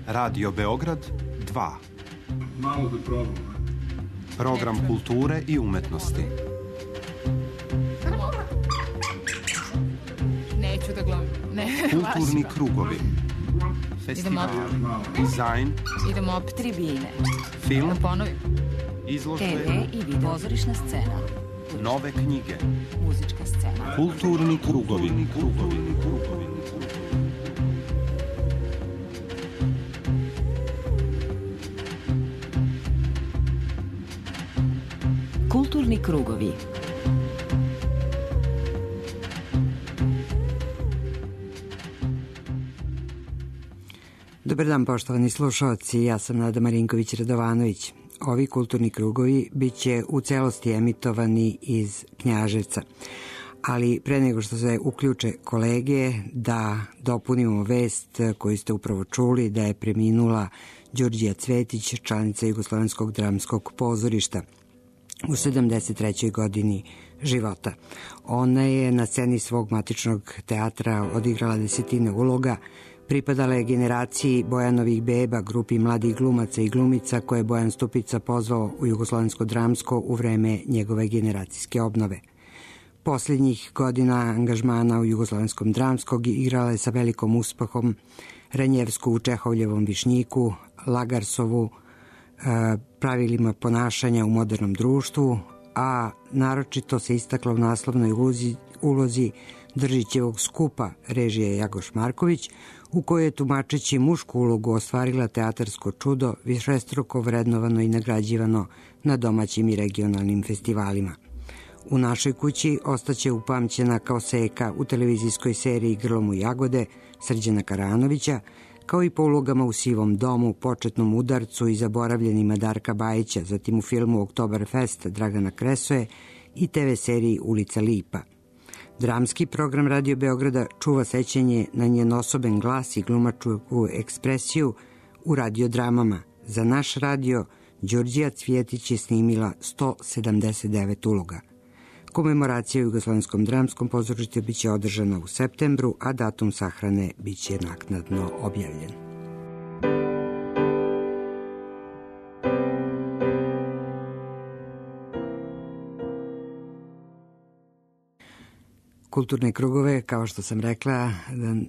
Radio Beograd 2. Malo da probam. Program kulture i umetnosti. Neću da gledam. Kulturni krugovi. Festival, dizajn, idemo opet tribine. film, Da ponovim. izložbe, TV i video. Pozorišna scena. nove knjige. Muzička scena. Kulturni krugovi. Kulturni krugovi. Dobar dan, poštovani slušalci, ja sam Nada Marinković-Radovanović. Ovi kulturni krugovi bit će u celosti emitovani iz Knjaževca. Ali pre nego što se uključe kolege, da dopunimo vest koju ste upravo čuli, da je preminula Đurđija Cvetić, članica Jugoslovenskog dramskog pozorišta u 73. godini života. Ona je na sceni svog matičnog teatra odigrala desetine uloga, pripadala je generaciji Bojanovih beba, grupi mladih glumaca i glumica koje je Bojan Stupica pozvao u Jugoslovensko dramsko u vreme njegove generacijske obnove. Posljednjih godina angažmana u Jugoslovenskom dramskog igrala je sa velikom uspehom Ranjevsku u Čehovljevom Višnjiku, Lagarsovu, pravilima ponašanja u modernom društvu, a naročito se istakla u naslovnoj ulozi Držićevog skupa režije Jagoš Marković, u kojoj je tumačeći mušku ulogu ostvarila teatarsko čudo, višestruko vrednovano i nagrađivano na domaćim i regionalnim festivalima. U našoj kući ostaće upamćena kao Seka u televizijskoj seriji Grlom u jagode Srđana Karanovića, kao i po ulogama u Sivom domu, Početnom udarcu i Zaboravljenima Darka Bajića, zatim u filmu Oktoberfest Dragana Kresoje i TV seriji Ulica Lipa. Dramski program Radio Beograda čuva sećanje na njen osoben glas i glumačku ekspresiju u radiodramama. Za naš radio Đurđija Cvjetić je snimila 179 uloga. Komemoracija u Jugoslovenskom dramskom pozorištu biće održana u septembru, a datum sahrane biće naknadno objavljen. Kulturne krugove, kao što sam rekla,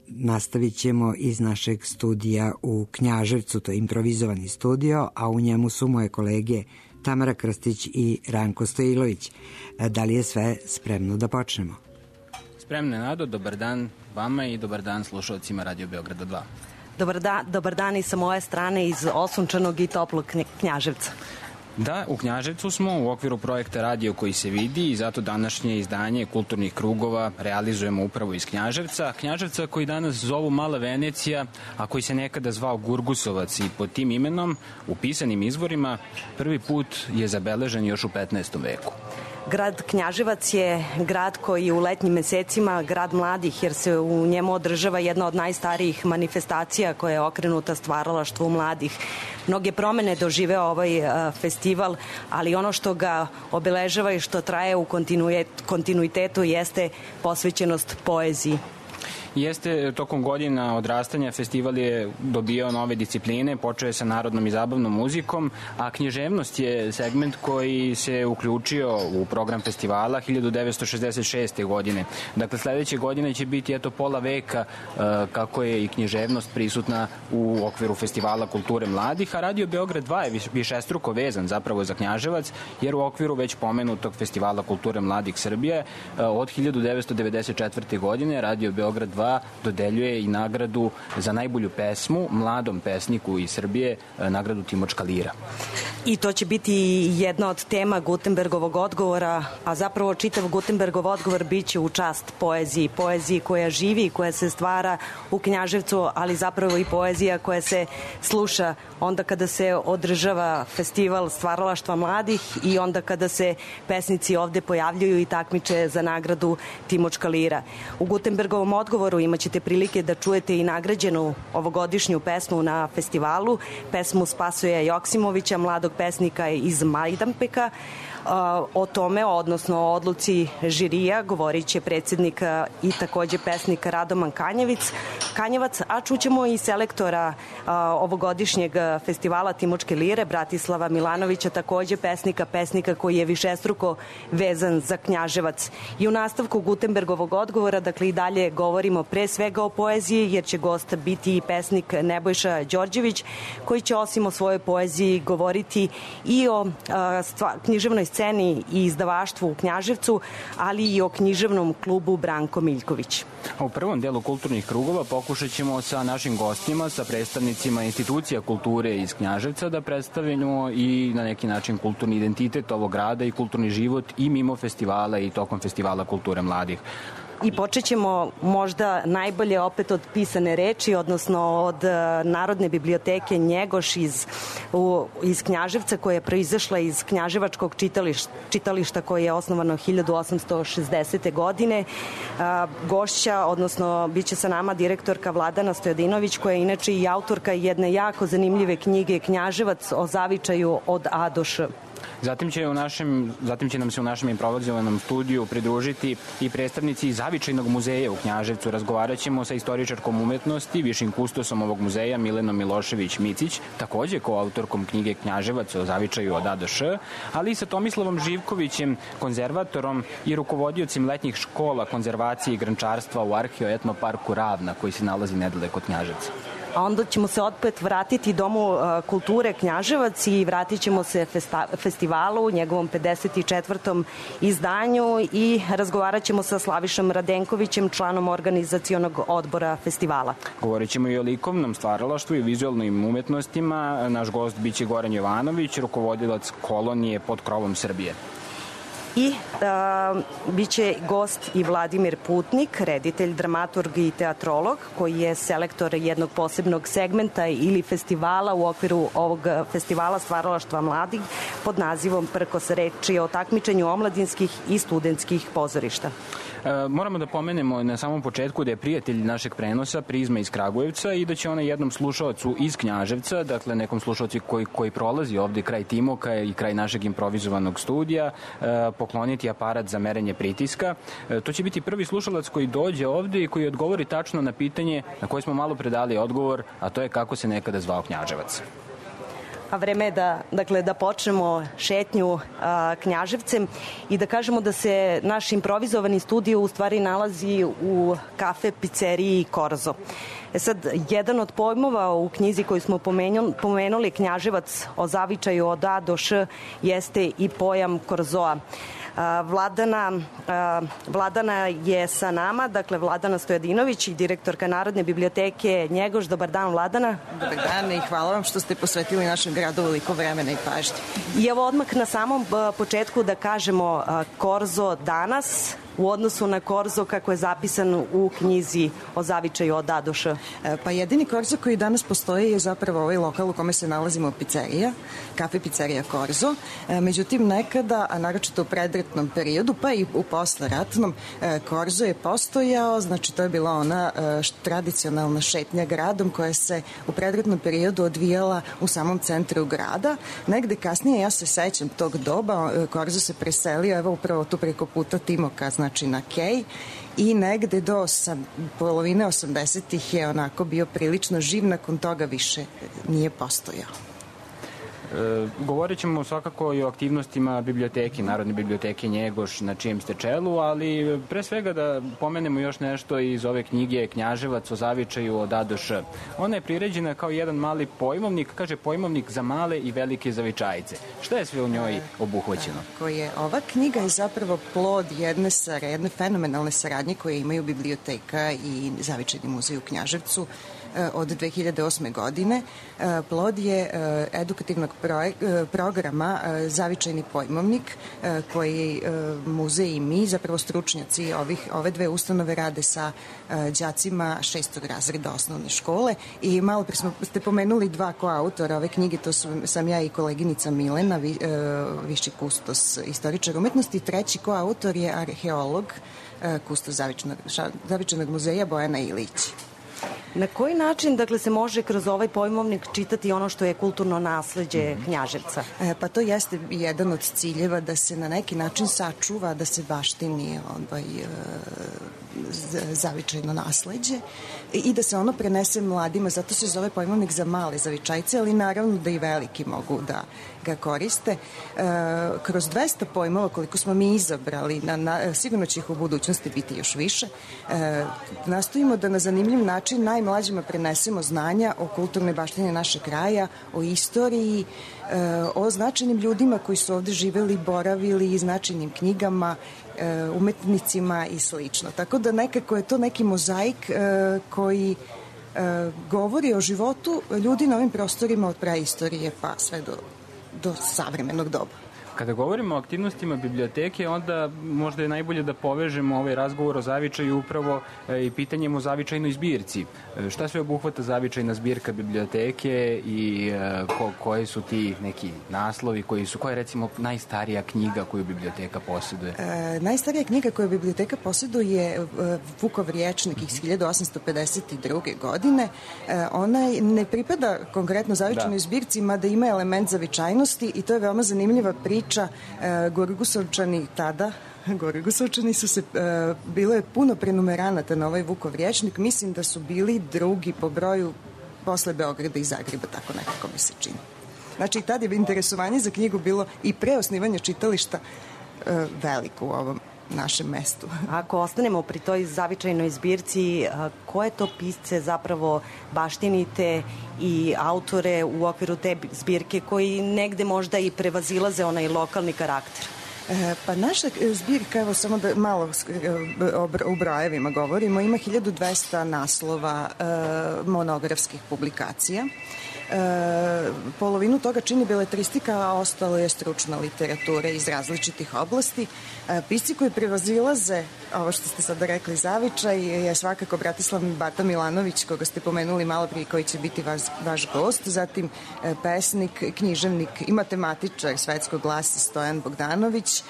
nastavit ćemo iz našeg studija u Knjaževcu, to je improvizovani studio, a u njemu su moje kolege Tamara Krstić i Ranko Stojilović. Da li je sve spremno da počnemo? Spremno, Nado, dobar dan vama i dobar dan slušalcima Radio Beograda 2. Dobar dan i sa moje strane iz osunčanog i toplog Knjaževca. Da, u Knjaževcu smo u okviru projekta Radio koji se vidi i zato današnje izdanje kulturnih krugova realizujemo upravo iz Knjaževca. Knjaževca koji danas zovu Mala Venecija, a koji se nekada zvao Gurgusovac i pod tim imenom u pisanim izvorima prvi put je zabeležen još u 15. veku. Grad Knjaževac je grad koji u letnjim mesecima grad mladih, jer se u njemu održava jedna od najstarijih manifestacija koja je okrenuta stvaralaštvu mladih. Mnoge promene doživeo ovaj festival, ali ono što ga obeležava i što traje u kontinuitetu jeste posvećenost poeziji. Jeste, tokom godina odrastanja festival je dobio nove discipline, počeo je sa narodnom i zabavnom muzikom, a književnost je segment koji se uključio u program festivala 1966. godine. Dakle, sledeće godine će biti pola veka kako je i književnost prisutna u okviru festivala kulture mladih, a Radio Beograd 2 je višestruko vezan zapravo za Knjaževac, jer u okviru već pomenutog festivala kulture mladih Srbije od 1994. godine Radio Beograd 2 dodeljuje i nagradu za najbolju pesmu mladom pesniku iz Srbije, nagradu Timočka Lira. I to će biti jedna od tema Gutenbergovog odgovora, a zapravo čitav Gutenbergov odgovor biće u čast poeziji koja živi i koja se stvara u Knjaževcu, ali zapravo i poezija koja se sluša onda kada se održava festival stvaralaštva mladih i onda kada se pesnici ovde pojavljuju i takmiče za nagradu Timočka Lira. U Gutenbergovom odgovoru imaćete prilike da čujete i nagrađenu ovogodišnju pesmu na festivalu, pesmu Spasoja Joksimovića, mladog pesnika iz Majdanpeka. O tome, odnosno o odluci žirija, govorit će predsjednik i takođe pesnik Radoman Kanjevac, a čućemo i selektora ovogodišnjeg festivala Timočke lire, Bratislava Milanovića, takođe pesnika koji je višestruko vezan za Knjaževac. I u nastavku Gutenbergovog odgovora, dakle i dalje govorimo pre svega o poeziji, jer će gost biti i pesnik Nebojša Đorđević, koji će osim o svojoj poeziji govoriti i o književnoj sceni i izdavaštvu u Knjaževcu, ali i o književnom klubu Branko Miljković. U prvom delu kulturnih krugova pokušat ćemo sa našim gostima, sa predstavnicima institucija kulture iz Knjaževca da predstavimo i na neki način kulturni identitet ovog grada i kulturni život i mimo festivala i tokom festivala kulture mladih. I počet ćemo možda najbolje opet od pisane reči, odnosno od Narodne biblioteke Njegoš iz Knjaževca, koja je proizašla iz Knjaževačkog čitališta koje je osnovano 1860. godine. Gošća, odnosno bit će sa nama direktorka Vladana Stojadinović, koja je inače i autorka jedne jako zanimljive knjige Knjaževac o zavičaju od A do Š. Zatim će nam se u našem improvizovanom studiju pridružiti i predstavnici Zavičajnog muzeja u Knjaževcu. Razgovarat ćemo sa istoričarkom umetnosti, višim kustosom ovog muzeja Milenom Milošević-Micić, takođe koautorkom knjige Knjaževac o zavičaju od A do Š, ali i sa Tomislavom Živkovićem, konzervatorom i rukovodiocim letnjih škola konzervacije i grančarstva u Arheo-etnoparku Ravna, koji se nalazi nedaleko od Knjaževca. A onda ćemo se opet vratiti Domu kulture Knjaževac i vratit ćemo se festivalu, njegovom 54. izdanju, i razgovarat ćemo sa Slavišom Radenkovićem, članom organizacionog odbora festivala. Govorit ćemo i o likovnom stvaralaštvu i vizualnim umetnostima. Naš gost biće Goran Jovanović, rukovodilac kolonije pod krovom Srbije. I biće gost i Vladimir Putnik, reditelj, dramaturg i teatrolog, koji je selektor jednog posebnog segmenta ili festivala u okviru ovog festivala stvaralaštva mladih pod nazivom Prkos, reči o takmičenju omladinskih i studentskih pozorišta. Moramo da pomenemo na samom početku da je prijatelj našeg prenosa Prizma iz Kragujevca i da će ona jednom slušaocu iz Knjaževca, dakle nekom slušaocu koji prolazi ovde kraj Timoka i kraj našeg improvizovanog studija, pokloniti aparat za merenje pritiska. To će biti prvi slušalac koji dođe ovde i koji odgovori tačno na pitanje na koje smo malo predali odgovor, a to je kako se nekada zvao Knjaževac. A vreme je da počnemo šetnju Knjaževcem i da kažemo da se naš improvizovani studio u stvari nalazi u kafe pizzeriji Korzo. Sad, jedan od pojmova u knjizi koju smo pomenuli, Knjaževac o zavičaju od A do Š, jeste i pojam Korzoa. Vladana je sa nama, dakle Vladana Stojadinović i direktorka Narodne biblioteke Njegoš. Dobar dan, Vladana. Dobar dan i hvala vam što ste posvetili našem gradu veliko vremena i pažnje. I evo odmah na samom početku da kažemo Korzo danas u odnosu na Korzo kako je zapisan u knjizi o zavičaju od A do Š. Pa jedini Korzo koji danas postoji je zapravo ovaj lokal u kome se nalazimo, pizzerija, kafe pizzerija Korzo. Međutim, nekada, a naročito u predratnom periodu, pa i u posleratnom, Korzo je postojao, znači to je bila ona tradicionalna šetnja gradom koja se u predratnom periodu odvijala u samom centru grada. Negde kasnije, ja se sećam tog doba, Korzo se preselio, evo upravo tu preko puta Timoka, znači na Kej, i negde do polovine 80-ih je onako bio prilično živ, nakon toga više nije postojao. Govorit ćemo svakako i o aktivnostima biblioteke, Narodne biblioteke Njegoš, na čijem ste čelu, ali pre svega da pomenemo još nešto iz ove knjige Knjaževac o zavičaju od A do Š. Ona je priređena kao jedan mali pojmovnik, kaže pojmovnik za male i velike zavičajce. Šta je sve u njoj obuhvaćeno? Ova knjiga je zapravo plod jedne fenomenalne saradnje koje imaju biblioteka i Zavičajni muzej u Knjaževcu od 2008. godine. Plod je edukativnog programa Zavičajni pojmovnik koji muzej i mi, zapravo stručnjaci ove dve ustanove, rade sa đacima 6. razreda osnovne škole. I malo pre ste pomenuli dva koautora ove knjige, to sam ja i koleginica Milena, viši kustos istoričar umetnosti. Treći koautor je arheolog, kustos Zavičajnog muzeja Bojana Ilić. Na koji način, dakle, se može kroz ovaj pojmovnik čitati ono što je kulturno nasleđe Knjaževca? Pa to jeste jedan od ciljeva, da se na neki način sačuva, da se baštini zavičajno nasleđe i da se ono prenese mladima. Zato se zove pojmovnik za male zavičajce, ali naravno da i veliki mogu da ga koriste. Kroz 200 pojmova koliko smo mi izabrali, sigurno će ih u budućnosti biti još više, nastojimo da na zanimljiv način najmlađima prenesemo znanja o kulturnoj baštini našeg kraja, o istoriji, o značajnim ljudima koji su ovde živeli, boravili, i značajnim knjigama, umetnicima i slično. Tako da nekako je to neki mozaik koji govori o životu ljudi na ovim prostorima od praistorije pa sve do savremenog doba. Kada govorimo o aktivnostima biblioteke, onda možda je najbolje da povežemo ovaj razgovor o zavičaju upravo i pitanjem o zavičajnoj zbirci. Šta sve obuhvata zavičajna zbirka biblioteke i koji su ti neki naslovi, koja je recimo najstarija knjiga koju biblioteka posjeduje? Najstarija knjiga koju biblioteka posjeduje je Vukov rječnik iz 1852. godine. Ona ne pripada konkretno zavičajnoj zbirci, mada ima element zavičajnosti i to je veoma zanimljiva priča. Gorigusovčani su se, bilo je puno prenumeranata na ovaj Vukov rječnik, mislim da su bili drugi po broju posle Beograda i Zagreba, tako nekako mi se čini. Znači, tad je interesovanje za knjigu bilo i pre osnivanja čitališta veliko u ovom našem mestu. Ako ostanemo pri toj zavičajnoj zbirci, koje to pisce zapravo baštinite i autore u okviru te zbirke koji negde možda i prevazilaze onaj lokalni karakter? Pa naša zbirka, evo samo da malo u brojevima govorimo, ima 1200 naslova monografskih publikacija. Polovinu toga čini beletristika, a ostalo je stručna literatura iz različitih oblasti. Pisci koji prevazilaze, ovo što ste sada rekli, zavičaj, je svakako Bratislav Bata Milanović, koga ste pomenuli malo prije, koji će biti vaš gost, zatim pesnik, književnik i matematičar svetskog glasa Stojan Bogdanović,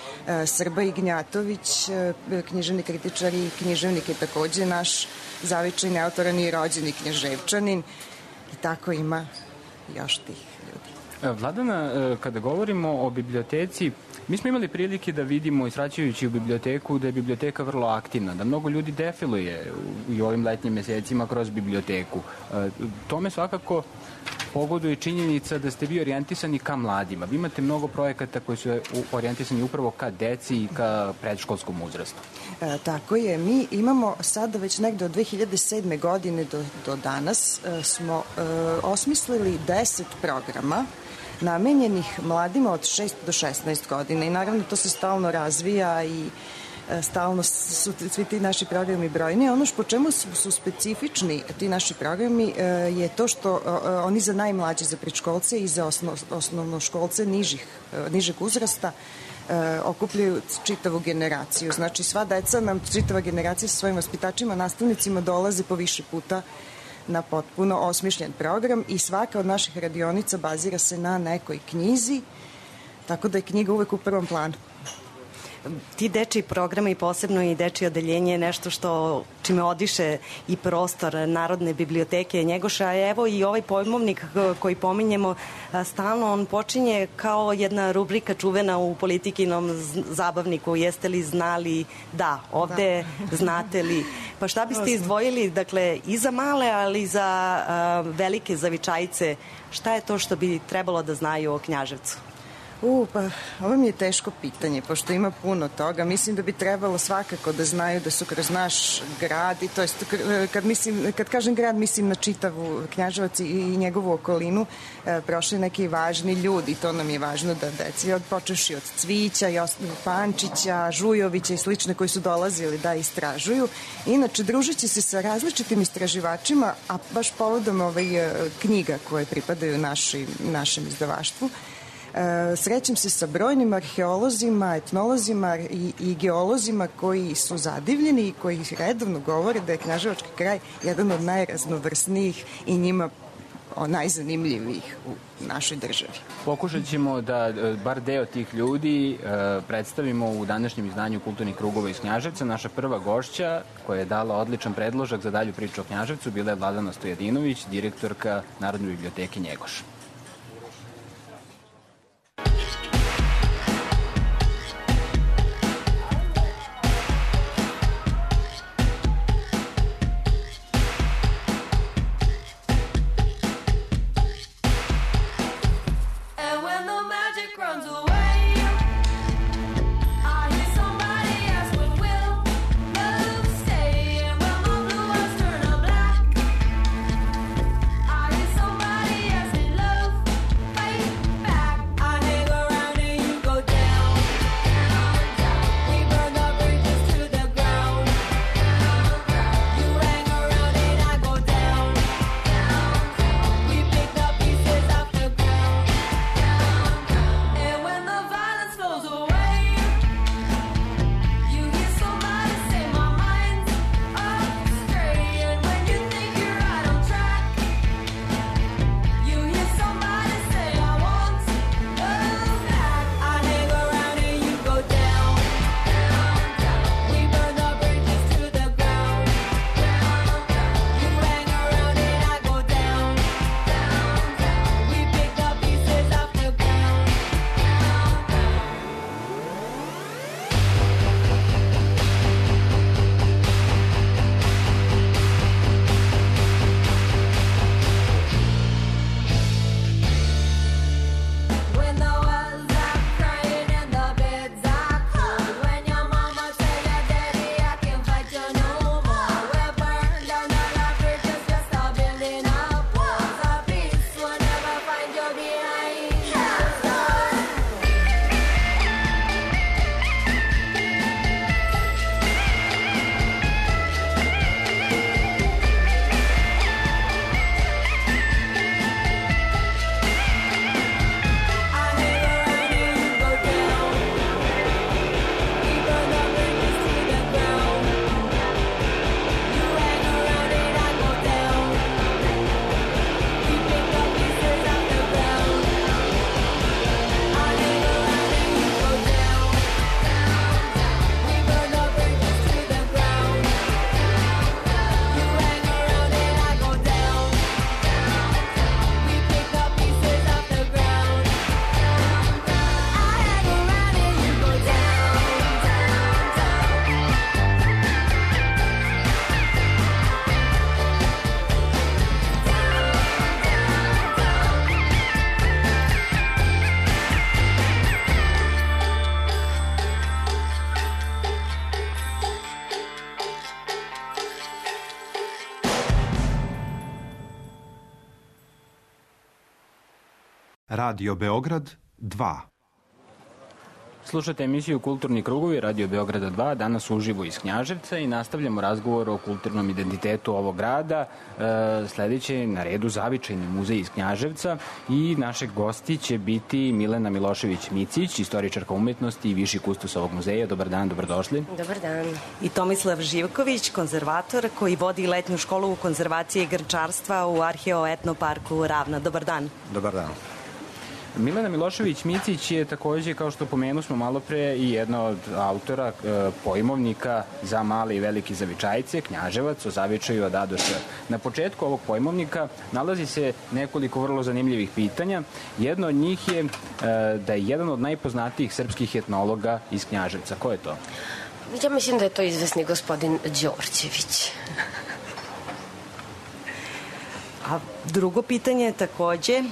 Srba Ignjatović, književni kritičar i književnik je takođe naš zavičajni autor, on je rođeni Knjaževčanin i tako ima još tih ljudi. Vladana, kada govorimo o biblioteci, mi smo imali prilike da vidimo, israćajući u biblioteku, da je biblioteka vrlo aktivna, da mnogo ljudi defiluje u ovim letnjim mesecima kroz biblioteku. Tome svakako pogoduje činjenica da ste vi orijentisani ka mladima. Vi imate mnogo projekata koji su orijentisani upravo ka deci i ka predškolskom uzrastu. Tako je. Mi imamo sada već negde od 2007. godine do danas smo osmislili 10 programa namenjenih mladima od 6 do 16 godina i naravno to se stalno razvija i stalno su svi ti naši programi brojni. Ono po čemu su specifični ti naši programi je to što oni za najmlađe, za predškolce i za osnovnoškolce nižeg uzrasta okupljaju čitavu generaciju. Znači sva deca nam, čitava generacija sa svojim vaspitačima, nastavnicima dolaze po više puta na potpuno osmišljen program i svaka od naših radionica bazira se na nekoj knjizi, tako da je knjiga uvek u prvom planu. Ti dečiji programi, posebno i dečije odeljenje, je nešto što čime odiše i prostor Narodne biblioteke Njegoša, a evo i ovaj pojmovnik koji pominjemo stalno, on počinje kao jedna rubrika čuvena u Politikinom zabavniku, jeste li znali da, ovde znate li, pa šta biste izdvojili, dakle, i za male, ali i za velike zavičajce, šta je to što bi trebalo da znaju o Knjaževcu? Pa ovo mi je teško pitanje, pošto ima puno toga. Mislim da bi trebalo svakako da znaju da su kroz naš grad, i to jest kad kažem grad, mislim na čitavu Knjaževac i njegovu okolinu, prošli neki važni ljudi, to nam je važno da deci, počeši od Cvića, Pančića, Žujovića i slične koji su dolazili da istražuju. Inače, družeći se sa različitim istraživačima, a baš povodom knjiga koje pripadaju našem izdavaštvu, srećem se sa brojnim arheolozima, etnolozima i geolozima koji su zadivljeni i koji redovno govore da je Knjaževački kraj jedan od najraznovrsnijih i njima najzanimljivijih u našoj državi. Pokušat ćemo da bar deo tih ljudi predstavimo u današnjem izdanju Kulturnih krugova iz Knjaževca. Naša prva gošća koja je dala odličan predložak za dalju priču o Knjaževcu bila je Vladana Stojadinović, direktorka Narodne biblioteke Njegoš. Radio Beograd 2. Slušate emisiju Kulturni krugovi Radio Beograda 2, danas uživo iz Knjaževca i nastavljamo razgovor o kulturnom identitetu ovog grada. Sledeće je na redu Zavičajni muzej iz Knjaževca i naše gosti će biti Milena Milošević-Micić, istoričarka umetnosti i viši kustos ovog muzeja. Dobar dan, dobrodošli. Dobar dan. I Tomislav Živković, konzervator koji vodi letnju školu konzervacije i grčarstva u Arheo-etnoparku Ravna. Dobar dan. Dobar dan. Milena Milošević-Micić je takođe, kao što pomenu smo malo pre, i jedna od autora pojmovnika za male i velike zavičajce, Knjaževac, o zavičaju od A do Š. Na početku ovog pojmovnika nalazi se nekoliko vrlo zanimljivih pitanja. Jedno od njih je da je jedan od najpoznatijih srpskih etnologa iz Knjaževca. Ko je to? Ja mislim da je to izvesni gospodin Đorđević. A drugo pitanje takođe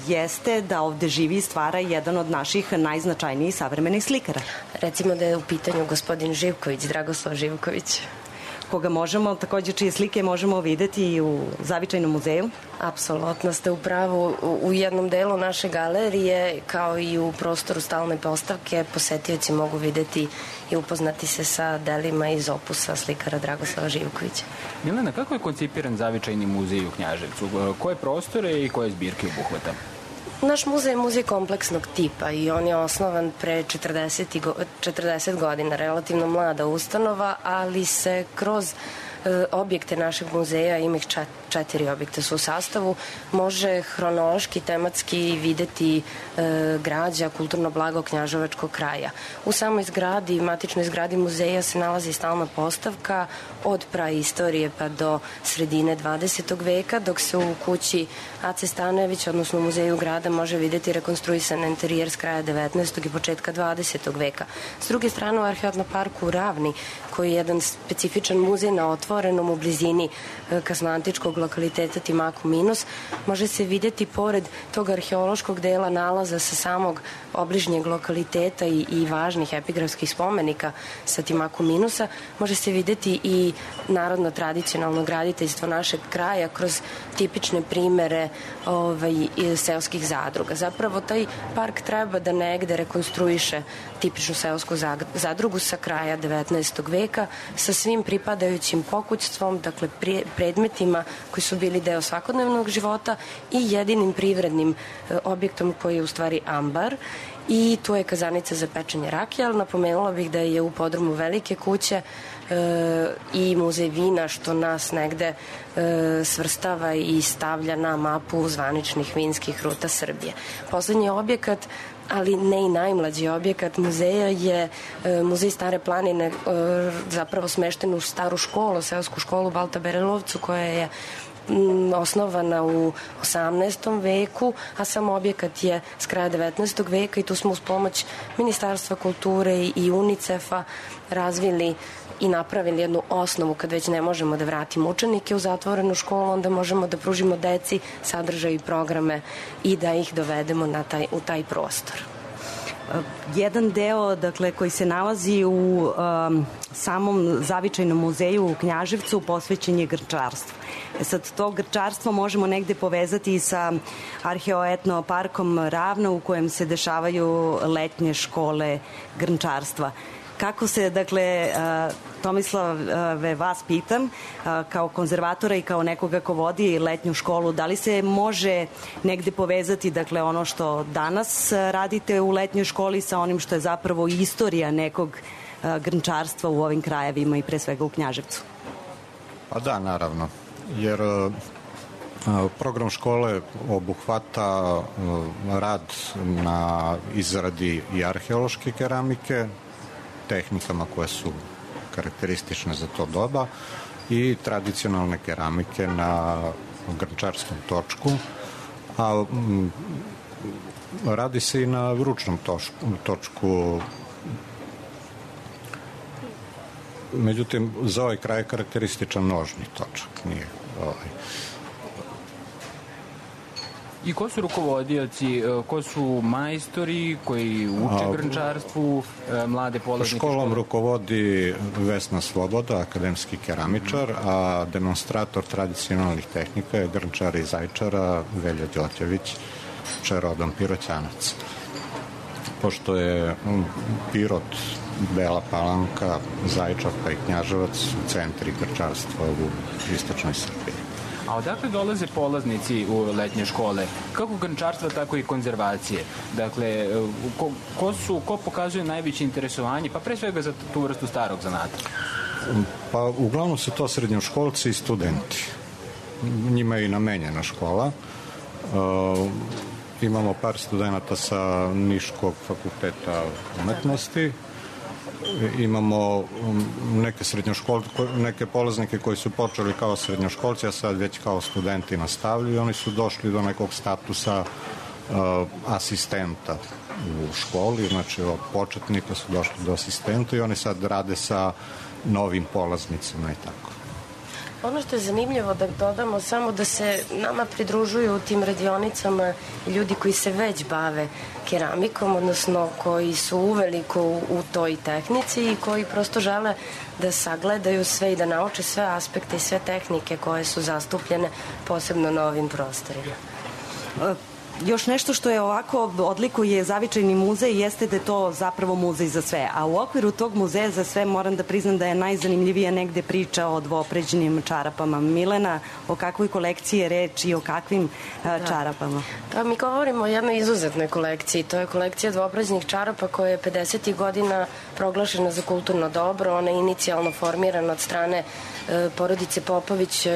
jeste da ovde živi i stvara jedan od naših najznačajnijih savremenih slikara. Recimo da je u pitanju gospodin Živković, Dragoslav Živković. Koga možemo, takođe čije slike možemo videti i u Zavičajnom muzeju? Apsolutno ste u pravu. U jednom delu naše galerije, kao i u prostoru stalne postavke, posetioci mogu videti i upoznati se sa delima iz opusa slikara Dragoslava Živkovića. Milena, kako je koncipiran Zavičajni muzej u Knjaževcu? Koje prostore i koje zbirke obuhvata? Naš muzej je muzej kompleksnog tipa i on je osnovan pre 40 godina, relativno mlada ustanova, ali se kroz objekte našeg muzeja, ima ih 4 objekta su u sastavu, može hronološki, tematski videti građa, kulturno blago knjaževačkog kraja. U samoj zgradi, matičnoj zgradi muzeja se nalazi stalna postavka od praistorije pa do sredine 20. veka, dok se u kući Ace Stanojevića, odnosno u muzeju grada, može videti rekonstruisan interijer s kraja 19. i početka 20. veka. S druge strane, u Arheotno-parku Ravni, koji je jedan specifičan muzej na otvorenom u blizini kasnoantičkog lokaliteta Timaku Minus, može se videti pored tog arheološkog dela nalaza sa samog obližnjeg lokaliteta i važnih epigrafskih spomenika sa Timaku Minusa, može se videti i narodno tradicionalno graditeljstvo našeg kraja kroz tipične primere seoskih zadruga. Zapravo taj park treba da negde rekonstruiše tipičnu seosku zadrugu sa kraja 19. veka sa svim pripadajućim pokućstvom, dakle predmetima koji su bili deo svakodnevnog života i jedinim privrednim objektom koji je u stvari ambar. I tu je kazanica za pečenje rakije, ali napomenula bih da je u podrumu Velike kuće i muzej vina, što nas negde svrstava i stavlja na mapu zvaničnih vinskih ruta Srbije. Poslednji objekat, ali ne i najmlađi objekat muzeja, je muzej Stare planine, zapravo smešten u staru školu, seosku školu Balta Berelovcu, koja je osnovana u 18. veku, a sam objekat je s kraja 19. veka i tu smo uz pomoć Ministarstva kulture i UNICEF-a razvili i napravili jednu osnovu. Kad već ne možemo da vratimo učenike u zatvorenu školu, onda možemo da pružimo deci sadržaj i programe i da ih dovedemo u taj prostor. Jedan deo, dakle, koji se nalazi u samom zavičajnom muzeju u Knjaževcu posvećen je grčarstvu. Sad, to grčarstvo možemo negde povezati sa Arheoetno-parkom Ravno, u kojem se dešavaju letnje škole grčarstva. Kako se, dakle, Tomislave, vas pitam, kao konzervatora i kao nekoga ko vodi letnju školu, da li se može negde povezati, dakle, ono što danas radite u letnjoj školi sa onim što je zapravo istorija nekog grnčarstva u ovim krajevima i pre svega u Knjaževcu? Pa da, naravno, jer program škole obuhvata rad na izradi i arheološke keramike, tehnikama koje su karakteristične za to doba i tradicionalne keramike na grnčarskom točku, a radi se i na ručnom točku. Međutim, za ovaj kraj je karakterističan nožni točak, nije I ko su rukovodioci, ko su majstori koji uče grnčarstvu, mlade polaznike škole? Školom rukovodi Vesna Sloboda, akademski keramičar, a demonstrator tradicionalnih tehnika je grnčar iz Zaječara, Velja Đotjević, rodom Piroćanac. Pošto je Pirot, Bela Palanka, Zaječar pa i Knjaževac centri grnčarstva u istočnoj Srbiji. A odakle dolaze polaznici u letnje škole? Kako grnčarstva, tako i konzervacije. Dakle, ko pokazuje najveće interesovanje, pa pre svega za tu vrstu starog zanata? Pa uglavnom su to srednjoškolci i studenti. Njima je i namenjena škola. Imamo par studenta sa Niškog fakulteta umetnosti. Imamo neke polaznike koji su počeli kao srednjoškolci, a sad već kao studenti nastavljaju. Oni su došli do nekog statusa asistenta u školi, znači od početnika su došli do asistenta i oni sad rade sa novim polaznicima i tako. Ono što je zanimljivo da dodamo samo da se nama pridružuju u tim radionicama ljudi koji se već bave keramikom, odnosno koji su uveliko u toj tehnici i koji prosto žele da sagledaju sve i da nauče sve aspekte i sve tehnike koje su zastupljene posebno na ovim prostorima. Još nešto što je ovako odlikuje Zavičajni muzej jeste da je to zapravo muzej za sve, a u okviru tog muzeja za sve moram da priznam da je najzanimljivija negde priča o dvopređenim čarapama. Milena, o kakvoj kolekciji je reč i o kakvim čarapama? Da, mi govorimo o jednoj izuzetnoj kolekciji. To je kolekcija dvopređenih čarapa koja je 50. godina proglašena za kulturno dobro. Ona je inicijalno formirana od strane porodice Popović,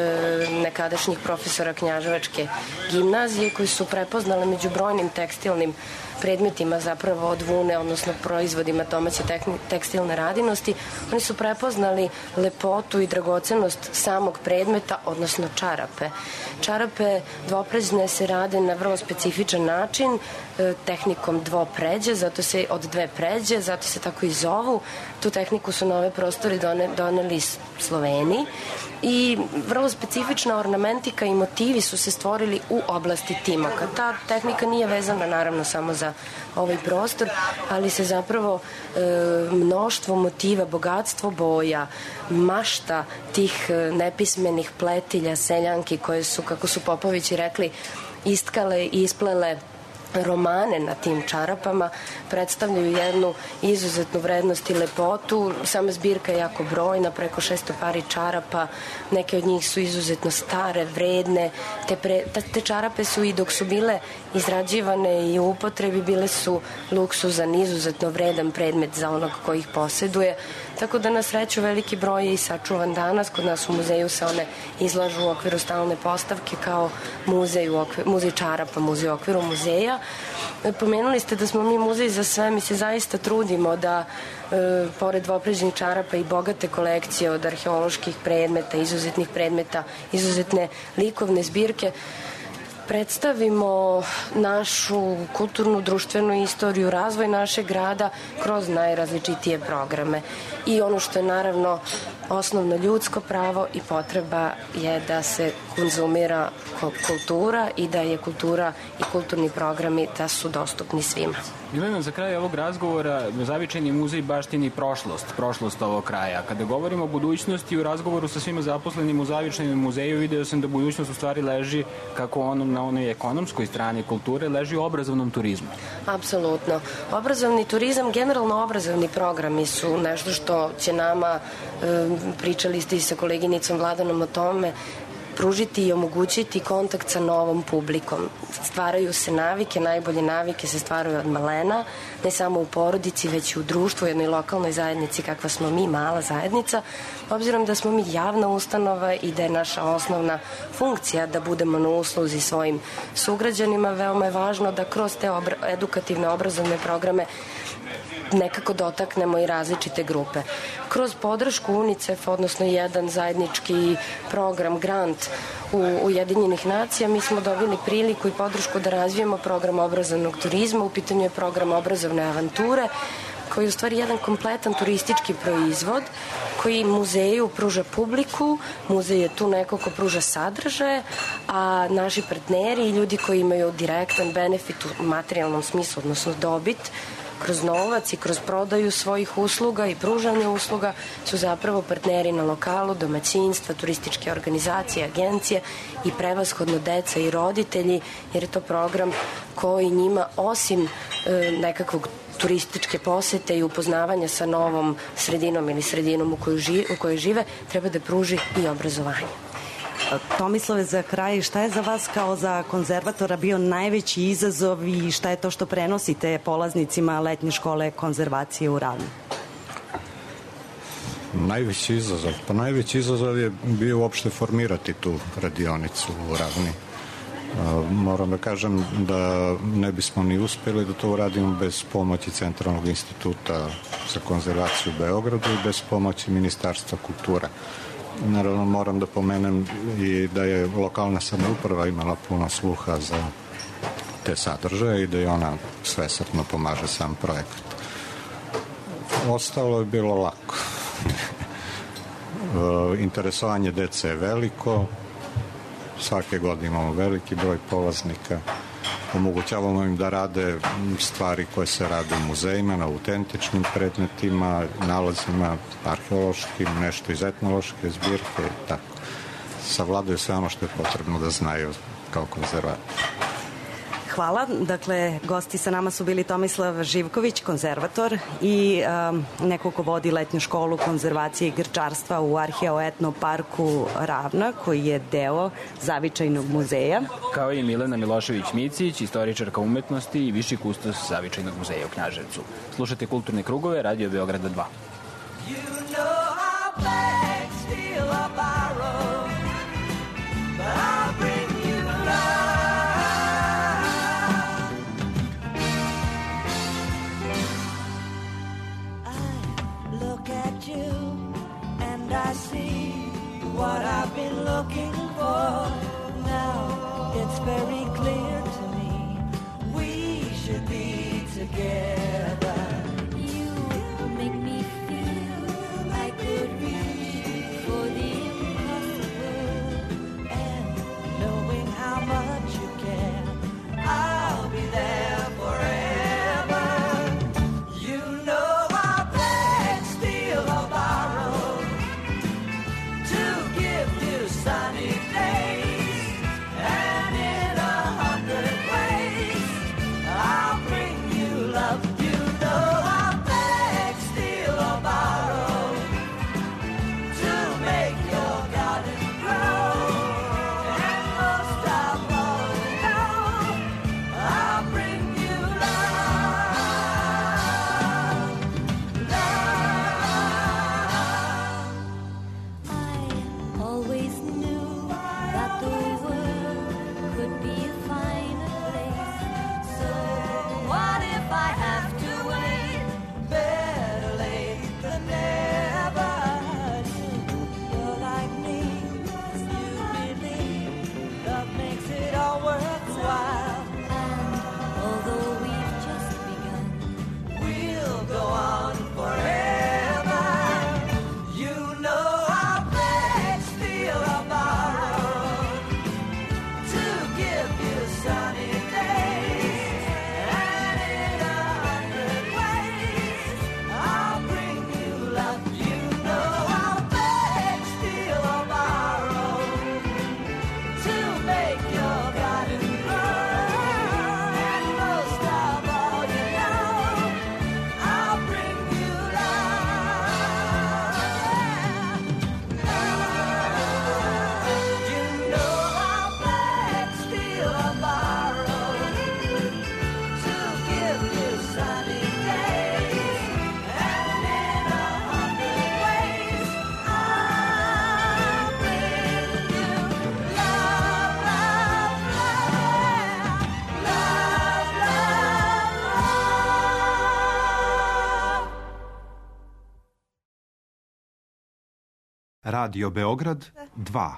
nekadašnjih profesora Knjaževačke gimnazije, koji su prepoznali među brojnim tekstilnim predmetima zapravo od vune, odnosno proizvodima domaće tekstilne radinosti. Oni su prepoznali lepotu i dragocenost samog predmeta, odnosno čarape. Čarape dvopređne se rade na vrlo specifičan način, tehnikom dvopređe, zato se od dve pređe, zato se tako i zovu. Tu tehniku su na ove prostore doneli Sloveni i vrlo specifična ornamentika i motivi su se stvorili u oblasti timaka. Ta tehnika nije vezana naravno samo za ovaj prostor, ali se zapravo mnoštvo motiva, bogatstvo boja, mašta tih nepismenih pletilja, seljanki koje su, kako su Popovići rekli, istkale i isplele romane na tim čarapama, predstavljaju jednu izuzetnu vrednost i lepotu. Sama zbirka je jako brojna, preko 600 pari čarapa, neke od njih su izuzetno stare, vredne. Te čarape su i dok su bile izrađivane i u upotrebi bile su luksuzan, izuzetno vredan predmet za onog koji ih poseduje. Tako da na sreću veliki broj je i sačuvan danas. Kod nas u muzeju se one izlažu u okviru stalne postavke kao muzej čarapa, muzej u okviru muzeja. Pomenuli ste da smo mi muzej za sve, mi se zaista trudimo da pored dvopređenih čarapa i bogate kolekcije od arheoloških predmeta, izuzetnih predmeta, izuzetne likovne zbirke, predstavimo našu kulturnu, društvenu istoriju, razvoj našeg grada kroz najrazličitije programe. I ono što je naravno osnovno ljudsko pravo i potreba je da se konzumira kultura i da je kultura i kulturni programi da su dostupni svima. Milena, za kraj ovog razgovora Zavičajni muzej baštini prošlost ovog kraja. Kada govorimo o budućnosti, u razgovoru sa svima zaposlenim u Zavičajnom muzeju video sam da budućnost u stvari leži, kako na onoj ekonomskoj strani kulture, leži u obrazovnom turizmu. Apsolutno. Obrazovni turizam, generalno obrazovni programi su nešto što će nama, pričali ste i sa koleginicom Vladanom o tome, pružiti i omogućiti kontakt sa novom publikom. Stvaraju se navike, najbolje navike se stvaraju od malena, ne samo u porodici, već i u društvu, u jednoj lokalnoj zajednici kakva smo mi, mala zajednica. Obzirom da smo mi javna ustanova i da je naša osnovna funkcija da budemo na usluzi svojim sugrađanima, veoma je važno da kroz te edukativne obrazovne programe nekako dotaknemo i različite grupe. Kroz podršku UNICEF, odnosno jedan zajednički program, grant u Ujedinjenih nacija, mi smo dobili priliku i podršku da razvijemo program obrazovnog turizma. U pitanju je program obrazovne avanture, koji je u stvari jedan kompletan turistički proizvod koji muzeju pruža publiku, muzej je tu neko ko pruža sadržaje, a naši partneri i ljudi koji imaju direktan benefit u materijalnom smislu, odnosno dobit, kroz novac i kroz prodaju svojih usluga i pružanje usluga su zapravo partneri na lokalu, domaćinstva, turističke organizacije, agencije i prevashodno deca i roditelji, jer je to program koji njima osim nekakvog turističke posete i upoznavanja sa novom sredinom ili sredinom u kojoj žive, treba da pruži i obrazovanje. Tomislave, za kraj, šta je za vas kao za konzervatora bio najveći izazov i šta je to što prenosite polaznicima letnje škole konzervacije u Ravni? Najveći izazov je bio uopšte formirati tu radionicu u Ravni. Moram da kažem da ne bismo ni uspeli da to uradimo bez pomoći Centralnog instituta za konzervaciju u Beogradu i bez pomoći Ministarstva kulture. Naravno, moram da pomenem i da je lokalna samouprava imala puno sluha za te sadržaje i da je ona svesrdno pomaže sam projekat. Ostalo je bilo lako. Interesovanje dece je veliko, svake godine imamo veliki broj polaznika, omogućavamo im da rade stvari koje se rade u muzejima, na autentičnim predmetima, nalazima arheološkim, nešto iz etnološke zbirke i tako. Savladaju sve ono što je potrebno da znaju kao konzervator. Hvala. Dakle, gosti sa nama su bili Tomislav Živković, konzervator i neko ko vodi letnju školu konzervacije i grčarstva u Arheoetno parku Ravna, koji je deo Zavičajnog muzeja. Kao i Milena Milošević-Micić, istoričarka umetnosti i viši kustos Zavičajnog muzeja u Knjaževcu. Slušajte Kulturne krugove, Radio Beograda 2. I see what I've been looking for. Now it's very clear to me we should be together. You make me feel I could reach for the impossible, and knowing how much you care, I'll be there forever. You know I'll beg, steal or borrow sunny days, and in 100 ways I'll bring you love. You know I'll beg, steal or borrow to make your garden grow, and most of all, I'll bring you love, love. I always Radio Beograd 2.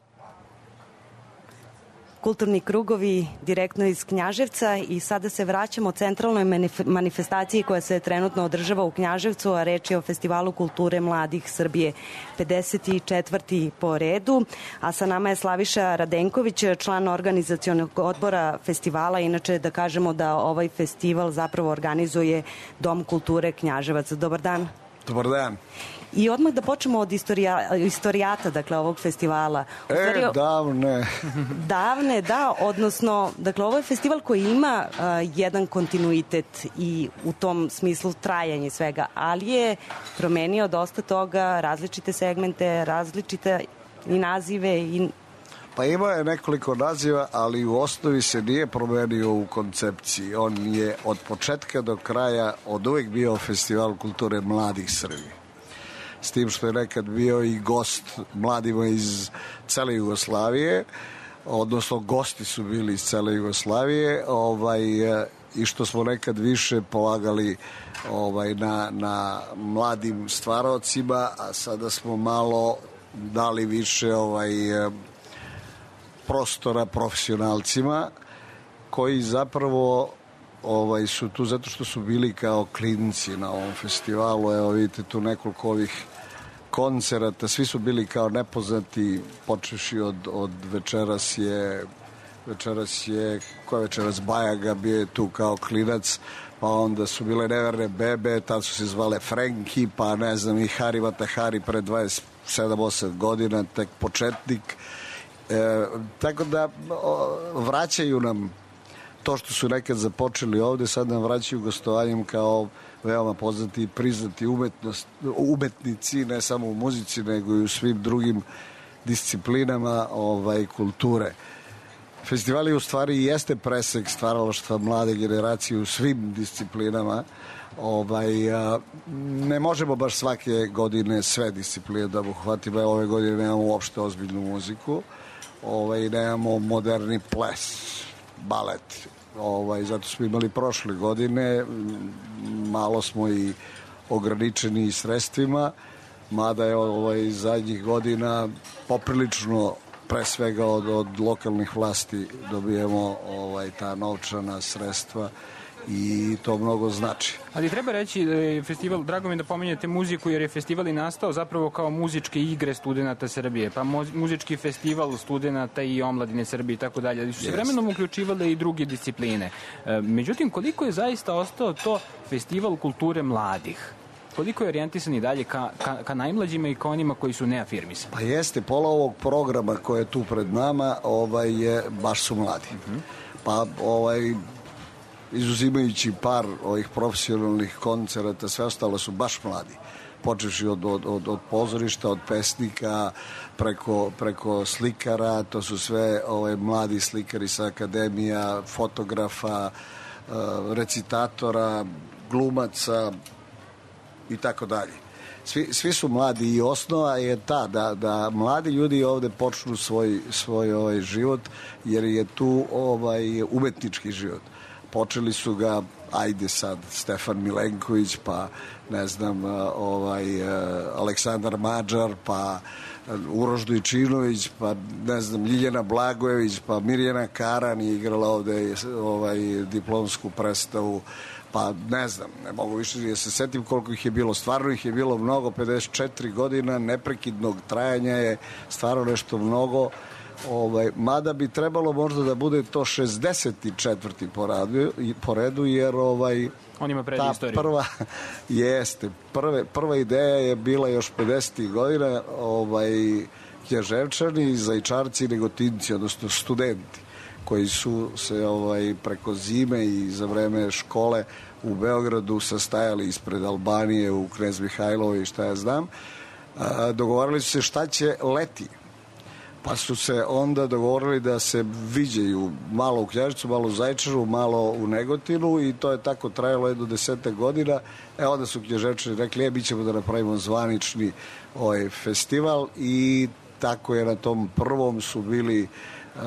Kulturni krugovi direktno iz Knjaževca i sada se vraćamo centralnoj manifestaciji koja se trenutno održava u Knjaževcu, a reč je o Festivalu kulture mladih Srbije, 54. po redu, a sa nama je Slaviša Radenković, član organizacionog odbora festivala. Inače da kažemo da ovaj festival zapravo organizuje Dom kulture Knjaževac. Dobar dan. Dobar dan. I odmah da počnemo od istorijata, dakle, ovog festivala. Davne. Davne, da, odnosno, dakle, ovo je festival koji ima jedan kontinuitet i u tom smislu trajanje svega, ali je promenio dosta toga, različite segmente, različite i nazive i... Pa ima je nekoliko naziva, ali u osnovi se nije promenio u koncepciji. On je od početka do kraja od uvek bio Festival kulture mladih Srbije. S tim što je nekad bio i gost mladima iz cele Jugoslavije, odnosno gosti su bili iz cele Jugoslavije, i što smo nekad više polagali na mladim stvaraocima, a sada smo malo dali više prostora profesionalcima koji zapravo su tu zato što su bili kao klinci na ovom festivalu. Evo vidite tu nekoliko ovih koncerata, svi su bili kao nepoznati, počeši od večeras je Bajaga bio je tu kao klinac, pa onda su bile Neverne bebe, tad su se zvale Frenki, pa ne znam i Hari Matahari pre 27-8 godina, tek početnik. Tako da vraćaju nam to što su nekad započeli ovde, sad nam vraćaju gostovanjem kao veoma poznati i priznati umetnici, ne samo u muzici, nego i u svim drugim disciplinama kulture. Festival je u stvari i jeste presek stvaralaštva mlade generacije u svim disciplinama. Ne možemo baš svake godine sve discipline da obuhvatimo. Ove godine nemamo uopšte ozbiljnu muziku, nemamo moderni ples, balet. Zato smo imali prošle godine, malo smo i ograničeni sredstvima, mada je zadnjih godina poprilično, pre svega od lokalnih vlasti, dobijemo ta novčana sredstva i to mnogo znači. Ali treba reći da je festival, drago mi da pominjete muziku, jer je festival i nastao zapravo kao muzičke igre studenta Srbije, pa muzički festival studenta i omladine Srbije i tako dalje, ali su se vremenom uključivale i druge discipline. Međutim, koliko je zaista ostao to festival kulture mladih? Koliko je orijentisan i dalje ka najmlađima i ka onima koji su neafirmisani? Pa jeste, pola ovog programa koje je tu pred nama baš su mladi. Pa izuzimajući par ovih profesionalnih koncerata, sve ostalo su baš mladi. Počevši od pozorišta, od pesnika, preko slikara, to su sve mladi slikari sa akademija, fotografa, recitatora, glumaca i tako dalje. Svi su mladi i osnova je ta da mladi ljudi ovde počnu svoj život, jer je tu umetnički život. Počeli su ga, ajde sad, Stefan Milenković, pa ne znam, Aleksandar Mađar, pa Uroš Dojčinović, pa ne znam, Ljiljana Blagojević, pa Mirjana Karan je igrala ovde diplomsku predstavu, pa ne znam, ne mogu više da se setim koliko ih je bilo. Stvarno ih je bilo mnogo, 54 godina neprekidnog trajanja je stvarno nešto mnogo. Mada bi trebalo možda da bude to 64. po redu, jer on ima predistoriju. Prva ideja je bila još 50. godina, Knjaževčani, Zaječarci i Negotinci, odnosno studenti koji su se preko zime i za vreme škole u Beogradu sastajali ispred Albanije u Knez Mihajlovoj i šta ja znam, dogovorili su se šta će leti. Pa su se onda dogovorili da se viđaju malo u Knjaževcu, malo u Zaječaru, malo u Negotinu i to je tako trajalo jedno 10 godina. Onda su Knjaževčani rekli, mi ćemo da napravimo zvanični festival i tako je na tom prvom su bili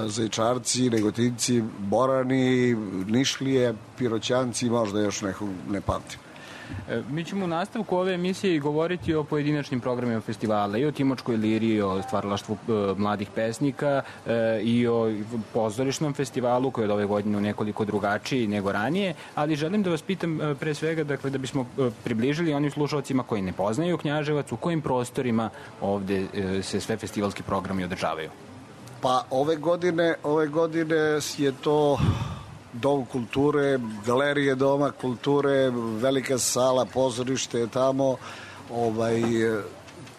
Zaječarci, Negotinci, Borani, Nišlije, Piroćanci i možda još nekog ne pamtim. Mi ćemo u nastavku ove emisije govoriti o pojedinačnim programima festivala, i o Timočkoj liriji, o stvaralaštvu mladih pesnika i o pozorišnom festivalu koji je od ove godine nekoliko drugačiji nego ranije, ali želim da vas pitam pre svega, dakle, da bismo približili onim slušalcima koji ne poznaju Knjaževac, u kojim prostorima ovde se sve festivalski programi održavaju? Pa ove godine je to Dom kulture, galerije Doma kulture, velika sala, pozorište je tamo,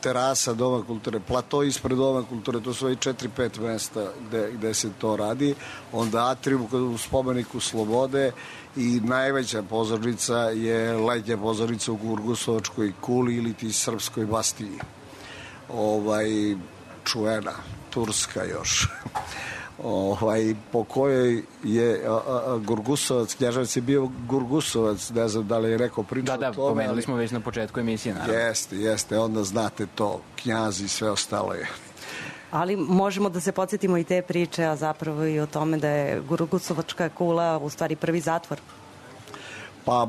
terasa Doma kulture, plato ispred Doma kulture, to su 4-5 mesta gde se to radi. Onda atrium u spomeniku Slobode i najveća pozornica je letnja pozornica u Gurgusovačkoj kuli ili ti Srpskoj Bastiji. Čuvena, turska još. Po kojoj je Gurgusovac, Knjaževac je bio Gurgusovac, ne znam da li je neko pričao o tome. Da, pomenuli smo već na početku emisije, naravno. Jeste, onda znate to, Knjaz i sve ostalo je. Ali možemo da se podsjetimo i te priče, a zapravo i o tome da je Gurgusovačka kula u stvari prvi zatvor. Pa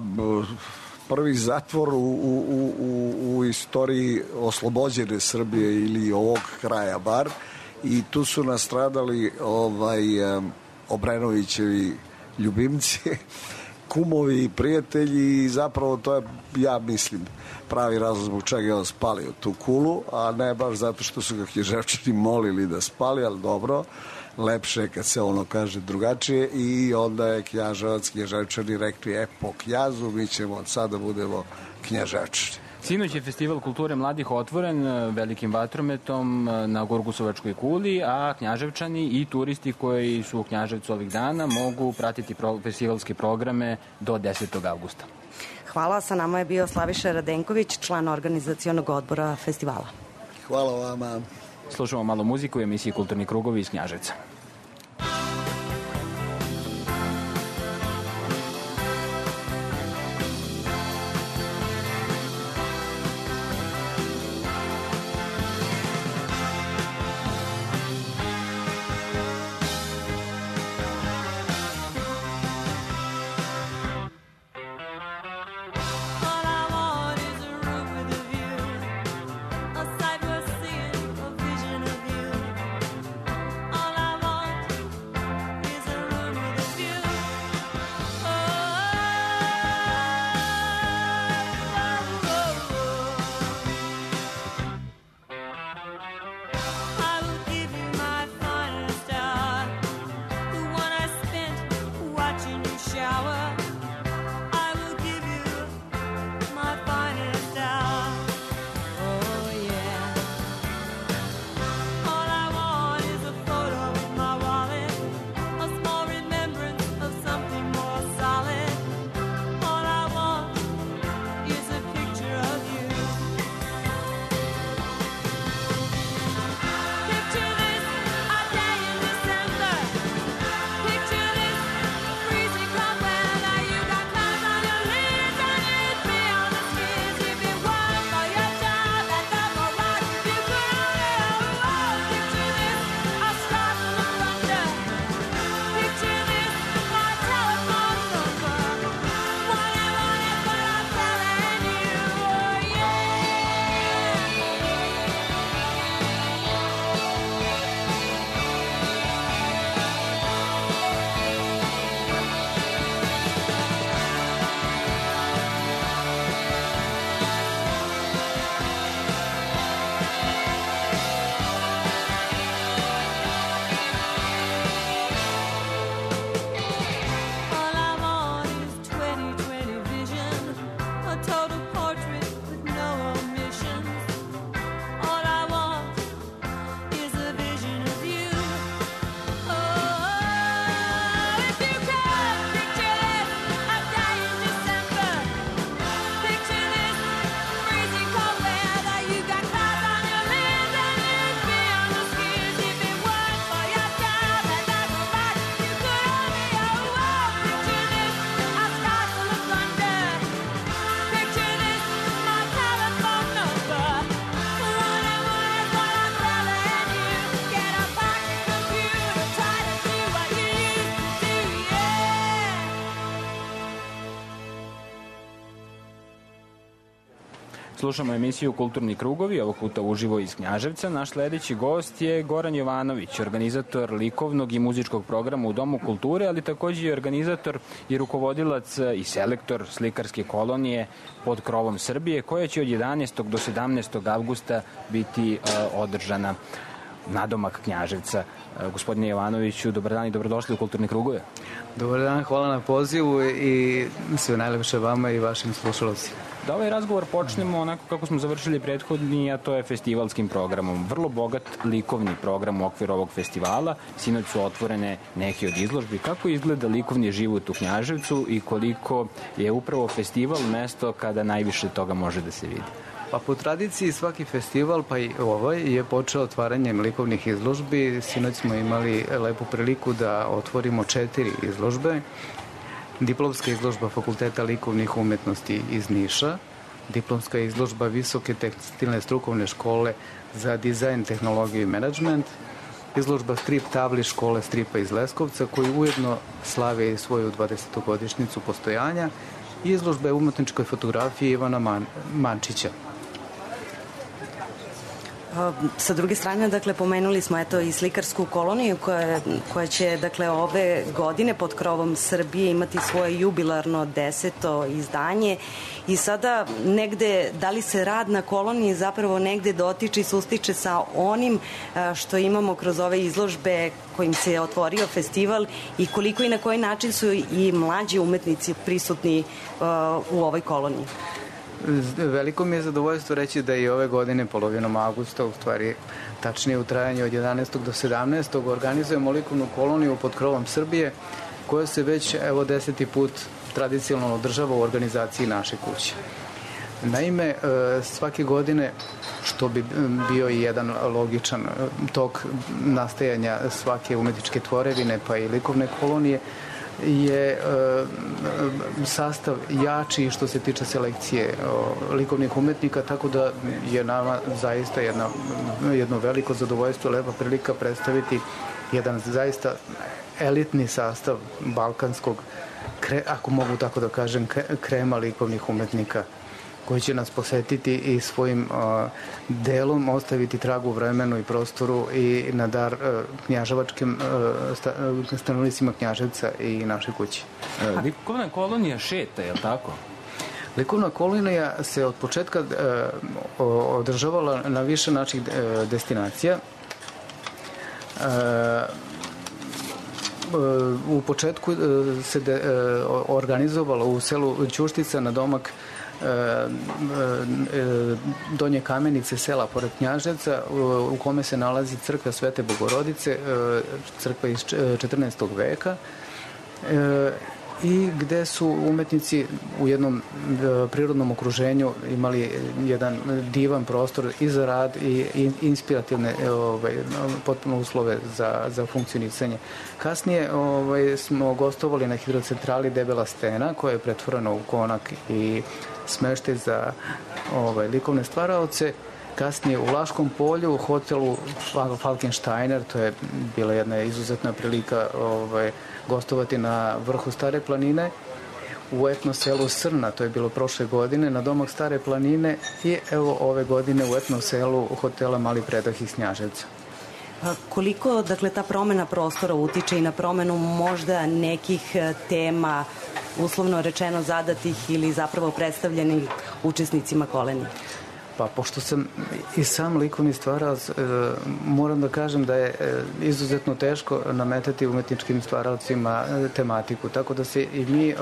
prvi zatvor u istoriji oslobođene Srbije ili ovog kraja bar, i tu su nastradali Obrenovićevi ljubimci, kumovi i prijatelji, i zapravo to je, ja mislim, pravi razlog zbog čega je on spalio tu kulu, a ne baš zato što su ga Knjaževčani molili da spali, ali dobro, lepše je kad se ono kaže drugačije, i onda je Knjaževac, Knjaževčani rekli, po Knjazu mi ćemo od sada budemo Knjaževčani. Sinoć je Festival kulture mladih otvoren velikim vatrometom na Gurgusovačkoj kuli, a Knjaževčani i turisti koji su u Knjaževcu ovih dana mogu pratiti festivalske programe do 10. avgusta. Hvala, sa nama je bio Slaviša Radenković, član organizacionog odbora festivala. Hvala vama. Slušamo malo muziku u emisiji Kulturni krugovi iz Knjaževca. Slušamo emisiju Kulturni krugovi, ovog puta uživo iz Knjaževca. Naš sledeći gost je Goran Jovanović, organizator likovnog i muzičkog programa u Domu kulture, ali takođe i organizator i rukovodilac i selektor slikarske kolonije pod krovom Srbije, koja će od 11. do 17. avgusta biti održana nadomak Knjaževca. Gospodine Jovanoviću, dobar dan i dobrodošli u Kulturne krugove. Dobar dan, hvala na pozivu i sve najlepše vama i vašim slušalcima. Da ovaj razgovor počnemo onako kako smo završili prethodni, a to je festivalskim programom. Vrlo bogat likovni program u okviru ovog festivala. Sinoć su otvorene neke od izložbi. Kako izgleda likovni život u Knjaževcu i koliko je upravo festival mesto kada najviše toga može da se vidi? Pa po tradiciji svaki festival, pa i ovaj, je počeo otvaranjem likovnih izložbi. Sinoć smo imali lepu priliku da otvorimo 4 izložbe. Diplomska izložba Fakulteta likovnih umetnosti iz Niša, diplomska izložba Visoke tekstilne strukovne škole za dizajn, tehnologiju i menadžment, izložba strip tabli škole stripa iz Leskovca, koji ujedno slave i svoju 20-godišnjicu postojanja, i izložbe umetničkoj fotografiji Ivana Mančića. Sa druge strane, dakle, pomenuli smo i slikarsku koloniju koja će, dakle, ove godine pod krovom Srbije imati svoje jubilarno 10. izdanje i sada negde, da li se rad na koloniji zapravo negde dotiče i sustiče sa onim što imamo kroz ove izložbe kojim se je otvorio festival i koliko i na koji način su i mlađi umetnici prisutni u ovoj koloniji? Veliko mi je zadovoljstvo reći da i ove godine, polovinom avgusta, u stvari tačnije u trajanju od 11. do 17. organizujemo likovnu koloniju pod krovom Srbije, koja se već, evo, 10. put tradicionalno održava u organizaciji naše kuće. Naime, svake godine, što bi bio i jedan logičan tok nastajanja svake umetničke tvorevine, pa i likovne kolonije, je sastav jači što se tiče selekcije likovnih umetnika, tako da je nama zaista jedno veliko zadovoljstvo, lepa prilika predstaviti jedan zaista elitni sastav balkanskog, ako mogu tako da kažem, krema likovnih umetnika, koji će nas posetiti i svojim delom ostaviti trag u vremenu i prostoru i na dar knjaževačkim stanovnicima Knjaževca i naše kuće. Likovna kolonija šeta, je li tako? Likovna kolonija se od početka održavala na više naših destinacija. U početku se organizovalo u selu Ćuštica na domak Donje Kamenice, sela pored Knjaževca, u kome se nalazi crkva Svete Bogorodice, crkva iz 14. veka, i gde su umetnici u jednom prirodnom okruženju imali jedan divan prostor i za rad i inspirativne potpuno uslove za funkcionisanje. Kasnije smo gostovali na hidrocentrali Debela stena, koja je pretvorena u konak i smeštaj za likovne stvaraoce. Kasnije u Vlaškom polju, u hotelu Falkensteiner, to je bila jedna izuzetna prilika gostovati na vrhu Stare planine, u etno selu Srna, to je bilo prošle godine, na domak Stare planine, i evo ove godine u etno selu hotela Mali Predah iz Knjaževca. Koliko, dakle, ta promena prostora utiče i na promenu možda nekih tema, uslovno rečeno zadatih ili zapravo predstavljenih učesnicima kolonije? Pa, pošto sam i sam likovni stvarac, moram da kažem da je izuzetno teško nametati umetničkim stvaralcima tematiku, tako da se i mi,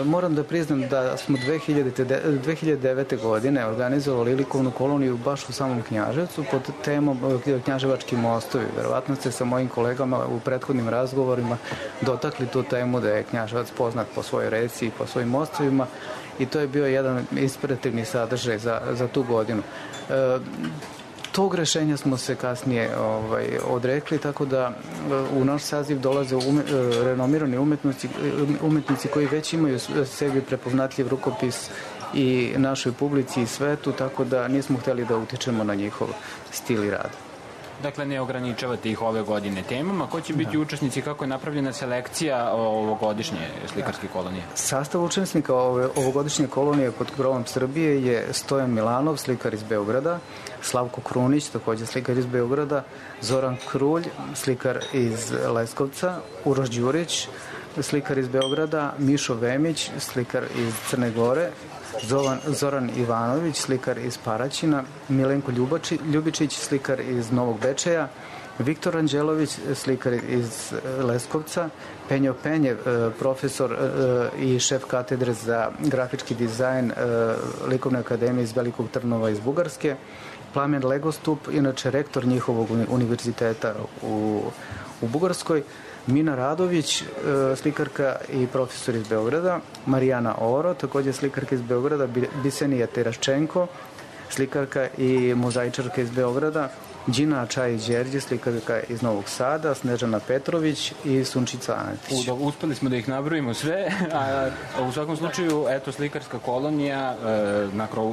moram da priznam da smo 2009. godine organizovali likovnu koloniju baš u samom Knjaževcu pod temom Knjaževački mostovi. Verovatno ste sa mojim kolegama u prethodnim razgovorima dotakli tu temu da je Knjaževac poznat po svojoj reci i po svojim mostovima, i to je bio jedan inspirativni sadržaj za tu godinu. Tog rešenja smo se kasnije odrekli, tako da u naš saziv dolaze renomirani umetnici koji već imaju sebi prepoznatljiv rukopis i našoj publici i svetu, tako da nismo hteli da utičemo na njihov stil i rad. Dakle, ne ograničavate ih ove godine temama. Ko će biti učesnici, kako je napravljena selekcija ovogodišnje slikarske kolonije? Sastav učesnika ovogodišnje kolonije pod krovom Srbije je Stojan Milanov, slikar iz Beograda, Slavko Krunić, takođe slikar iz Beograda, Zoran Krulj, slikar iz Leskovca, Uroš Đurić, slikar iz Beograda, Mišo Vemić, slikar iz Crne Gore, Zoran Ivanović, slikar iz Paraćina, Milenko Ljubičić, slikar iz Novog Bečeja, Viktor Anđelović, slikar iz Leskovca, Penjo Penjev, profesor i šef katedre za grafički dizajn Likovne akademije iz Velikog Trnova iz Bugarske, Plamen Legostup, inače rektor njihovog univerziteta u Bugarskoj, Mina Radović, slikarka i profesor iz Beograda, Marijana Oro, takođe slikarka iz Beograda, Bisenija Teraščenko, slikarka i mozaičarka iz Beograda, Đina Čajić-Đerđe, slikarka iz Novog Sada, Snežana Petrović i Sunčica Anetić. Uspeli smo da ih nabrojimo sve, a u svakom slučaju, eto, slikarska kolonija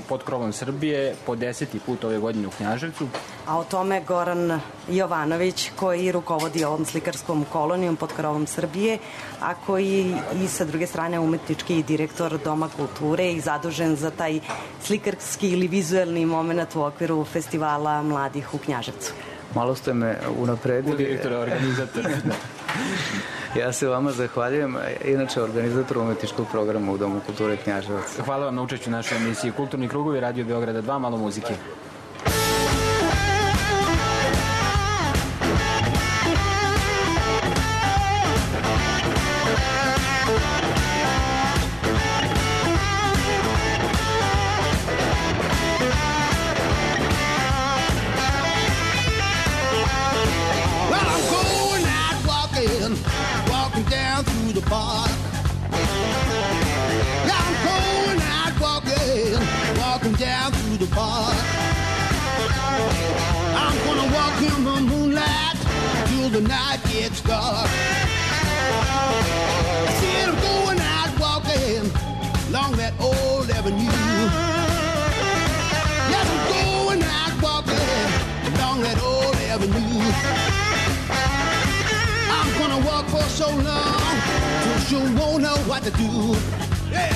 pod krovom Srbije po 10. put ove godine u Knjaževcu. A o tome Goran Jovanović, koji rukovodi ovom slikarskom kolonijom pod krovom Srbije, a koji i sa druge strane umetnički direktor Doma kulture i zadužen za taj slikarski ili vizuelni moment u okviru festivala mladih u Knjaževcu. Malo ste me unapredili. Direktor, organizator. Ja se vama zahvaljujem, inače organizator umetničkog programa u Domu kulture Knjaževac. Hvala vam na učešću u našoj emisiji Kulturni krugovi, Radio Beograda 2, malo muzike. walking down through the park. Yeah, I'm going out walking down through the park. I'm gonna walk in the moonlight till the night gets dark. I said I'm going out walking along that old avenue. Yes, I'm going out walking along that old avenue. I'm gonna walk for so long till you won't know what to do. Yeah.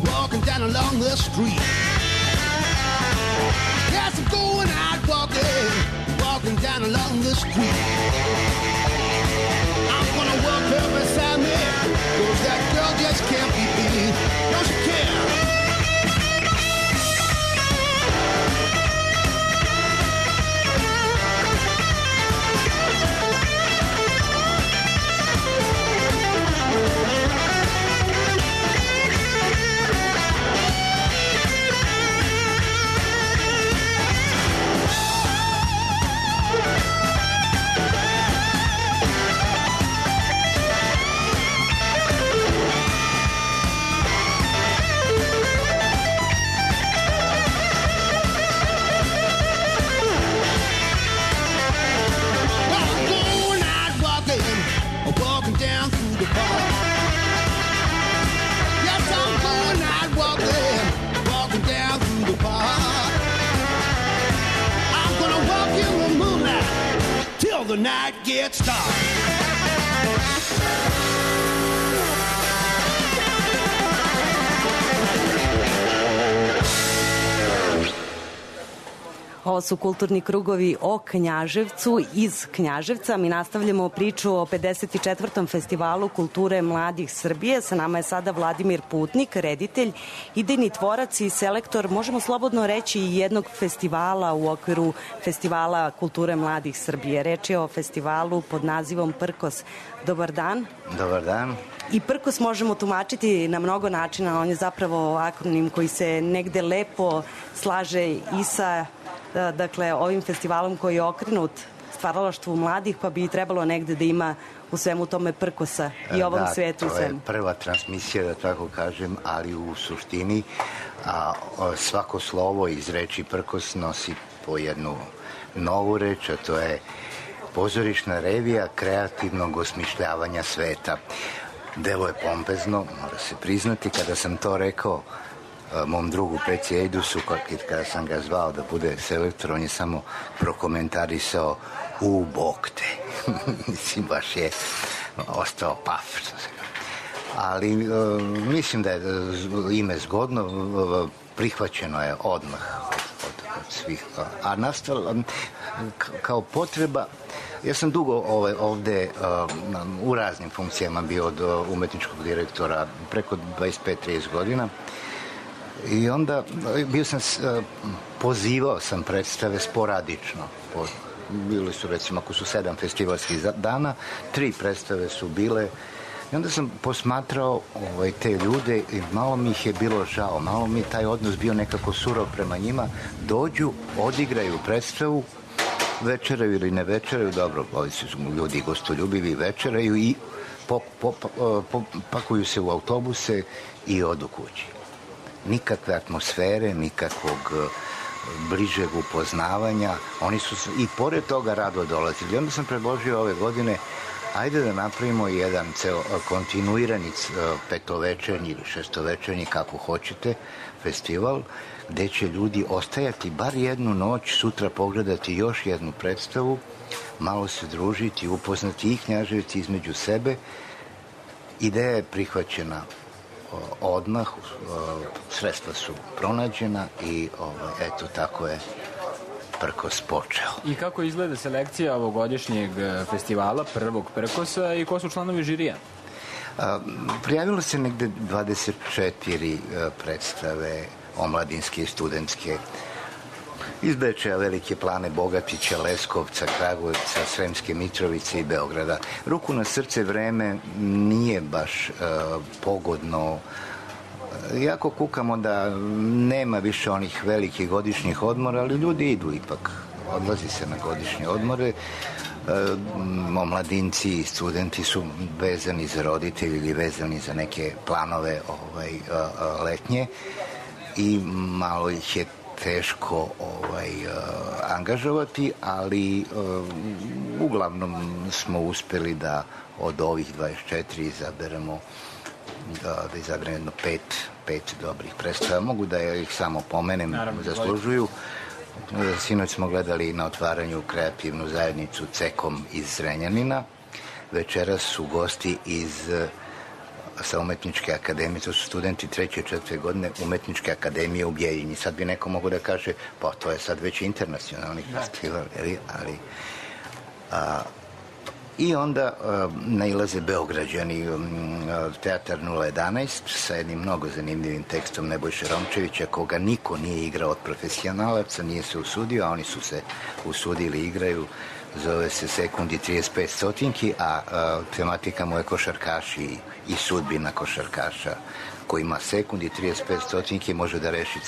Walking down along the street. Yes, I'm going out walking down along the street. I'm gonna walk her beside me, 'cause that girl just can't be beat. Don't you care? Walking down through the park. Yes, I'm going out walking down through the park. I'm gonna walk in the moonlight till the night gets dark. Ovo su kulturni krugovi o Knjaževcu, iz Knjaževca. Mi nastavljamo priču o 54. festivalu kulture mladih Srbije. Sa nama je sada Vladimir Putnik, reditelj, idejni tvorac i selektor, možemo slobodno reći, jednog festivala u okviru Festivala kulture mladih Srbije. Reč je o festivalu pod nazivom Prkos. Dobar dan. Dobar dan. I Prkos možemo tumačiti na mnogo načina. On je zapravo akronim koji se negde lepo slaže i sa ovim festivalom koji je okrenut stvaralaštvu mladih, pa bi trebalo negde da ima u svemu tome prkosa i ovom svetu. Da, to je prva transmisija, da tako kažem, ali u suštini svako slovo iz reči prkos nosi po jednu novu reč, a to je pozorišna revija kreativnog osmišljavanja sveta. Delo je pompezno, mora se priznati. Kada sam to rekao mom drugu Peci Ejdusu, kada sam ga zvao da bude selektor, on je samo prokomentarisao u bok te. Mislim, baš je ostao paf. Ali mislim da je ime zgodno, prihvaćeno je odmah od svih. A nastalo kao potreba. Ja sam dugo ovde u raznim funkcijama bio od umetničkog direktora, preko 25-30 godina. I onda pozivao sam predstave sporadično. Bili su, recimo, ako su 7 festivalskih dana, 3 predstave su bile. I onda sam posmatrao te ljude i malo mi ih je bilo žao, malo mi je taj odnos bio nekako surov prema njima. Dođu, odigraju predstavu, večeraju ili ne večeraju, dobro, ovi su ljudi gostoljubivi, večeraju i pakuju se u autobuse i odu kući. Nikakve atmosfere, nikakvog bližeg upoznavanja. Oni su i pored toga rado dolazili. Onda sam predložio ove godine, ajde da napravimo jedan kontinuirani petovečernji ili šestovečernji, kako hoćete, festival, gde će ljudi ostajati bar jednu noć, sutra pogledati još jednu predstavu, malo se družiti, upoznati i Knjaževci između sebe. Ideja je prihvaćena odmah, sredstva su pronađena i eto tako je Prkos počeo. I kako izgleda selekcija ovogodišnjeg festivala, prvog Prkosa, i ko su članovi žirija? Prijavilo se negde 24 predstave omladinske i studentske iz Bečeja, Velike Plane, Bogatića, Leskovca, Kragujevca, Sremske Mitrovice i Beograda. Ruku na srce, vreme nije baš pogodno. Jako kukamo da nema više onih velikih godišnjih odmora, ali ljudi idu ipak. Odlazi se na godišnje odmore. Omladinci i studenti su vezani za roditelji ili vezani za neke planove letnje i malo ih je teško angažovati, ali uglavnom smo uspeli da od ovih 24 izaberemo jedno pet dobrih predstava. Mogu da ih samo pomenem, zaslužuju. Sinoć smo gledali na otvaranju kreativnu zajednicu Cekom iz Zrenjanina. Večeras su gosti sa Umetničke akademije, to su studenti 3. i 4. godine Umetničke akademije u Bjeljini. Sad bi neko mogo da kaže, pa to je sad već internacionalni festival, ali... I onda nailaze Beograđani, Teatar 011 sa jednim mnogo zanimljivim tekstom Nebojše Romčevića, koga niko nije igrao od profesionalaca, nije se usudio, a oni su se usudili, igraju. Zove se Sekundi 35 stotinki, a tematika mu je košarkaši i sudbina košarkaša koji ima sekundi 35 stotinki može da reši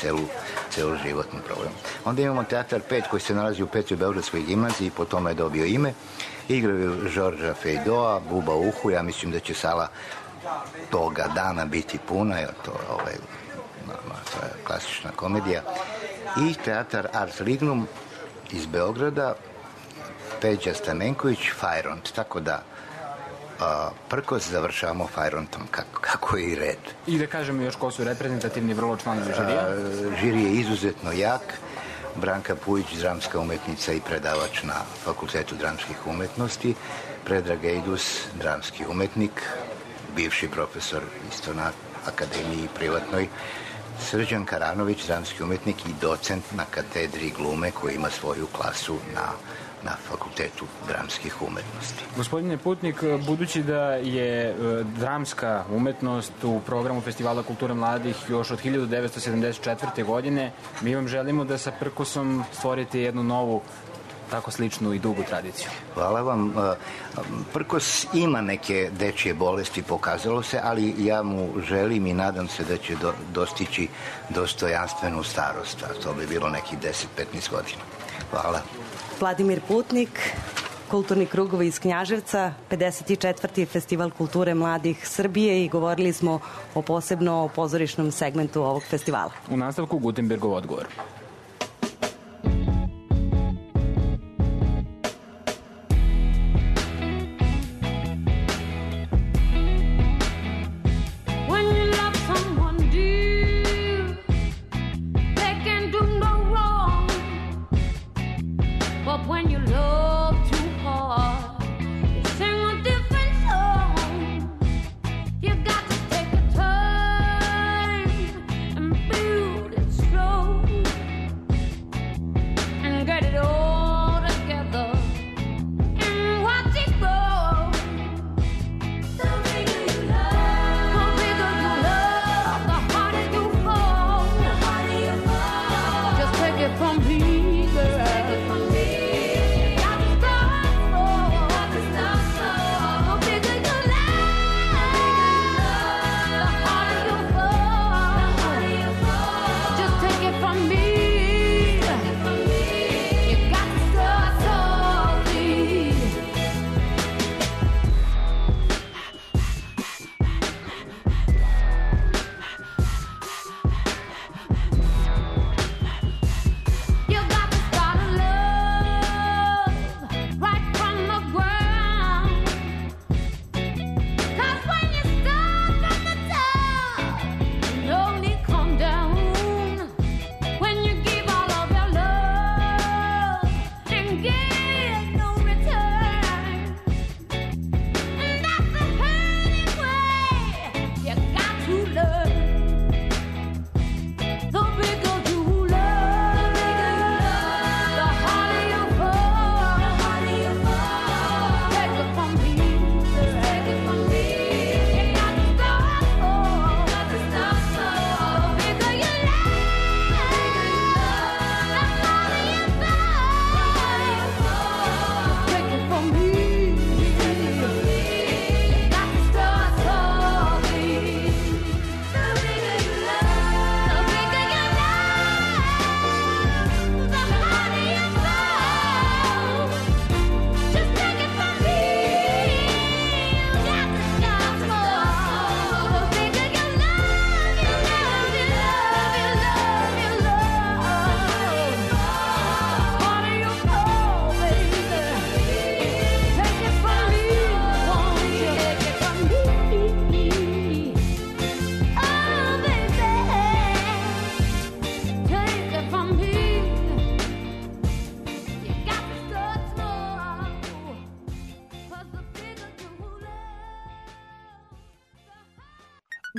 celu životnu problem. Onda imamo Teatar 5 koji se nalazi u 5. Beogradskoj gimnaziji, po tome je dobio ime. Igraju Žorža Fejdoa, Buba Uhu, ja mislim da će sala toga dana biti puna, jer to je klasična komedija. I Teatar Ars Lignum iz Beograda, Peđa Stamenković, Fajront, tako da Prkos završavamo Fajrontom, kako je i red. I da kažemo još ko su reprezentativni vrlo članovi žirija? Žiri je izuzetno jak. Branka Pujić, dramska umetnica i predavač na Fakultetu dramskih umetnosti. Predrag Ejdus, dramski umetnik, bivši profesor isto na akademiji privatnoj. Srđan Karanović, dramski umetnik i docent na katedri glume koji ima svoju klasu na Fakultetu dramskih umetnosti. Gospodine Putnik, budući da je dramska umetnost u programu Festivala kulture mladih još od 1974. godine, mi vam želimo da sa Prkosom stvorite jednu novu, tako sličnu i dugu tradiciju. Hvala vam. Prkos ima neke dečije bolesti, pokazalo se, ali ja mu želim i nadam se da će dostići dostojanstvenu starost, a to bi bilo nekih 10-15 godina. Hvala. Vladimir Putnik, Kulturni krugovi iz Knjaževca, 54. Festival kulture mladih Srbije i govorili smo posebno o pozorišnom segmentu ovog festivala. U nastavku Gutenbergov odgovor.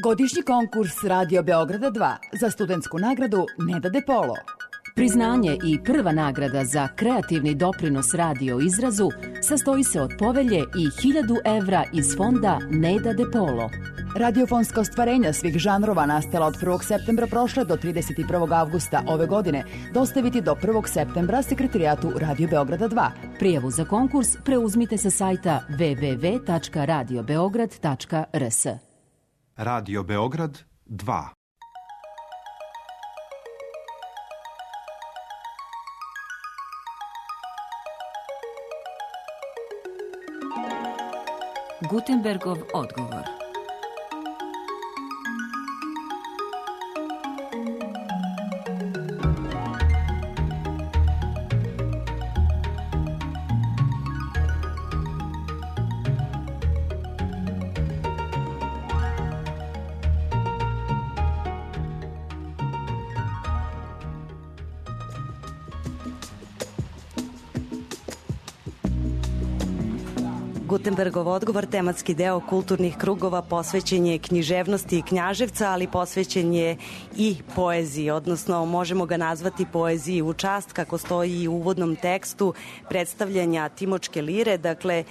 Godišnji konkurs Radio Beograda 2 za studentsku nagradu Neda De Polo. Priznanje i prva nagrada za kreativni doprinos radio izrazu sastoji se od povelje i 1000 evra iz fonda Neda De Polo. Radiofonska ostvarenja svih žanrova nastala od 1. septembra prošle do 31. avgusta ove godine dostaviti do 1. septembra sekretarijatu Radio Beograda 2. Prijavu za konkurs preuzmite sa sajta www.radiobeograd.rs. Radio Beograd 2. Gutenbergov odgovor. Gutenbergov odgovor, tematski deo kulturnih krugova, posvećen je književnosti Knjaževca, ali posvećen je i poeziji, odnosno možemo ga nazvati poeziji u čast, kako stoji u uvodnom tekstu predstavljanja Timočke lire, dakle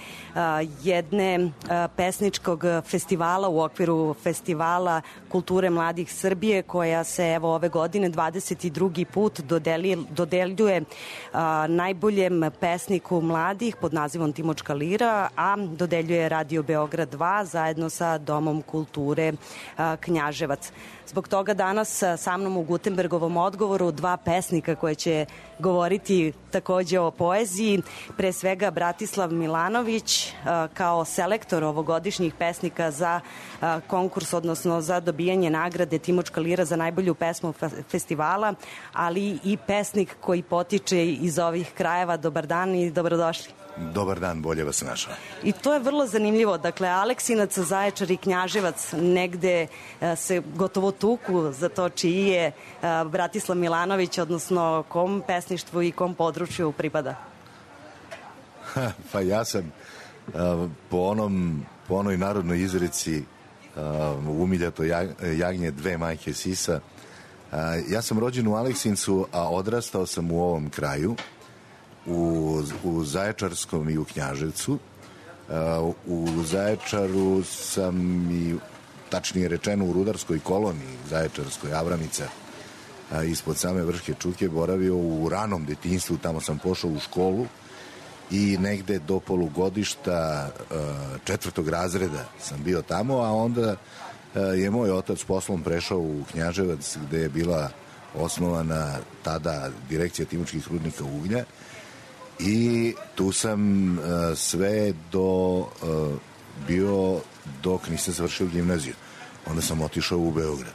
jedne pesničkog festivala u okviru Festivala kulture mladih Srbije, koja se evo ove godine 22. put dodeljuje najboljem pesniku mladih pod nazivom Timočka lira, a dodeljuje Radio Beograd 2 zajedno sa Domom kulture Knjaževac. Zbog toga danas sa mnom u Gutenbergovom odgovoru dva pesnika koje će govoriti takođe o poeziji. Pre svega Bratislav Milanović kao selektor ovogodišnjih pesnika za konkurs, odnosno za dobijanje nagrade Timočka lira za najbolju pesmu festivala, ali i pesnik koji potiče iz ovih krajeva. Dobar dan i dobrodošli. Dobar dan, bolje vas našao. I to je vrlo zanimljivo. Dakle, Aleksinac, Zaječar i Knjaževac negde se gotovo tuku za to čiji je Bratislav Milanović, odnosno kom pesništvu i kom području pripada? Pa ja sam po onoj narodnoj izreci umiljato jagnje dve majke sisa. Ja sam rođen u Aleksincu, a odrastao sam u ovom kraju, u Zaječarskom i u Knjaževcu. U Zaječaru sam i, tačnije rečeno, u rudarskoj koloniji Zaječarskoj, Avramica, ispod same Vrške Čuke, boravio u ranom detinjstvu. Tamo sam pošao u školu i negde do polugodišta 4. razreda sam bio tamo, a onda je moj otac poslom prešao u Knjaževac, gde je bila osnovana tada direkcija Timočkih rudnika uglja, i tu sam sve bio dok nisam završio gimnaziju. Onda sam otišao u Beograd.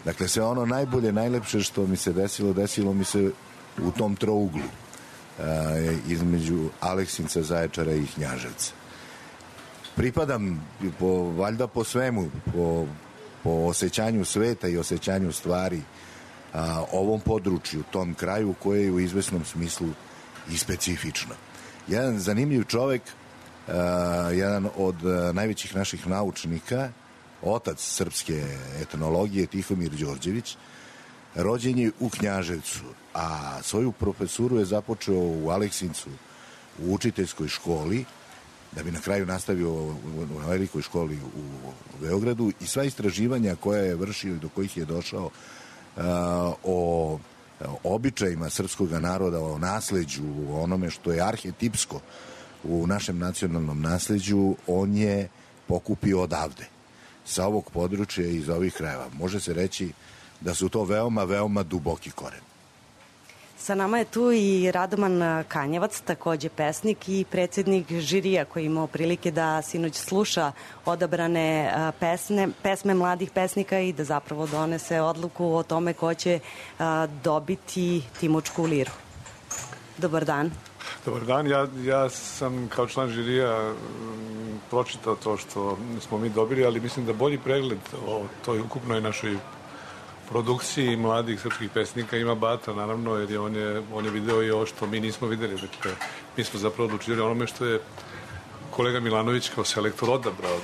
Dakle, sve ono najbolje, najlepše što mi se desilo mi se u tom trouglu između Aleksinca, Zaječara i Knjaževca. Pripadam valjda po svemu, po osjećanju sveta i osjećanju stvari ovom području, tom kraju koje je u izvesnom smislu i specifično. Jedan zanimljiv čovek, jedan od najvećih naših naučnika, otac srpske etnologije, Tihomir Đorđević, rođen je u Knjaževcu, a svoju profesuru je započeo u Aleksincu u učiteljskoj školi, da bi na kraju nastavio u velikoj školi u Beogradu, i sva istraživanja koja je vršio i do kojih je došao o običajima srpskog naroda, o nasleđu, o onome što je arhetipsko u našem nacionalnom nasleđu, on je pokupio odavde, sa ovog područja i iz ovih krajeva. Može se reći da su to veoma, veoma duboki koren. Sa nama je tu i Radoman Kanjevac, takođe pesnik i predsednik žirija, koji je imao prilike da sinoć sluša odabrane pesme mladih pesnika i da zapravo donese odluku o tome ko će dobiti Timočku liru. Dobar dan. Dobar dan, ja sam kao član žirija pročitao to što smo mi dobili, ali mislim da bolji pregled o toj ukupnoj našoj produkciji mladih srpskih pesnika ima Bata, naravno, jer on je video i ovo što mi nismo videli. Dakle, mi smo zapravo odlučili onome što je kolega Milanović kao selektor odabrao.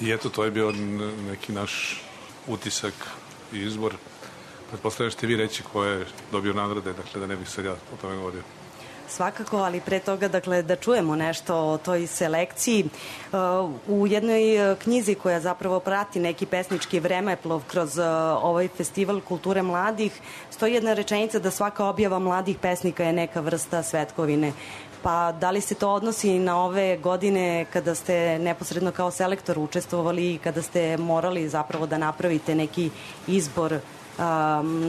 I eto, to je bio neki naš utisak i izbor. Pretpostavljam ćete vi reći ko je dobio nagrade, dakle da ne bih sad ja o tome govorio. Svakako, ali pre toga, dakle, da čujemo nešto o toj selekciji. U jednoj knjizi koja zapravo prati neki pesnički vremeplov kroz ovaj festival kulture mladih, stoji jedna rečenica da svaka objava mladih pesnika je neka vrsta svetkovine. Pa da li se to odnosi na ove godine kada ste neposredno kao selektor učestvovali i kada ste morali zapravo da napravite neki izbor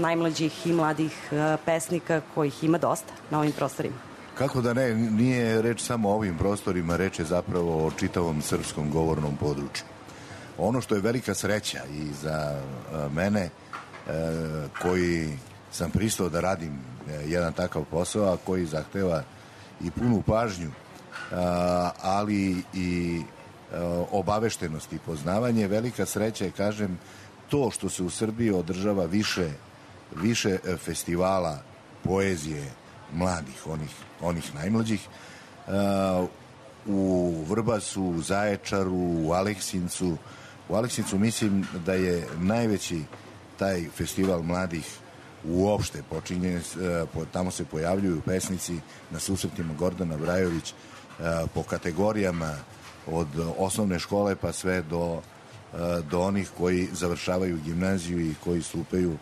najmlađih i mladih pesnika kojih ima dosta na ovim prostorima? Kako da ne, nije reč samo o ovim prostorima, reč je zapravo o čitavom srpskom govornom području. Ono što je velika sreća i za mene, koji sam pristao da radim jedan takav posao, a koji zahteva i punu pažnju, ali i obaveštenost i poznavanje, velika sreća je, kažem, to što se u Srbiji održava više festivala poezije mladih, onih najmlađih, u Vrbasu, u Zaječaru, u Aleksincu. U Aleksincu mislim da je najveći taj festival mladih uopšte počinje, tamo se pojavljuju pesnici na susretima Gordana Brajović po kategorijama od osnovne škole pa sve do onih koji završavaju gimnaziju i koji stupaju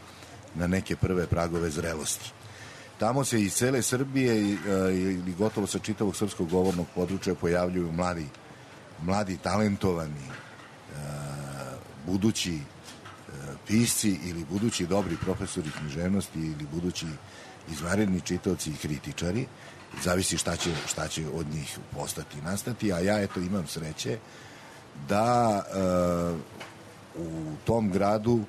na neke prve pragove zrelosti. Tamo se iz cele Srbije ili gotovo sa čitavog srpskog govornog područja pojavljuju mladi talentovani budući pisci ili budući dobri profesori književnosti ili budući izvanredni čitaoci i kritičari. Zavisi šta će od njih postati i nastati, a ja eto imam sreće da u tom gradu,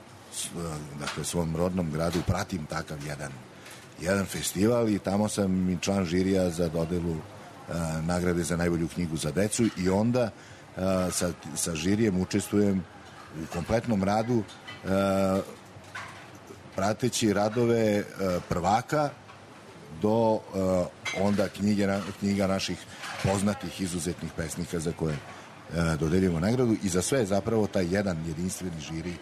dakle svom rodnom gradu, pratim takav jedan festival i tamo sam i član žirija za dodelu nagrade za najbolju knjigu za decu i onda sa žirijem učestvujem u kompletnom radu prateći radove prvaka do onda knjiga naših poznatih izuzetnih pesnika za koje dodeljujemo nagradu i za sve zapravo taj jedan jedinstveni žiri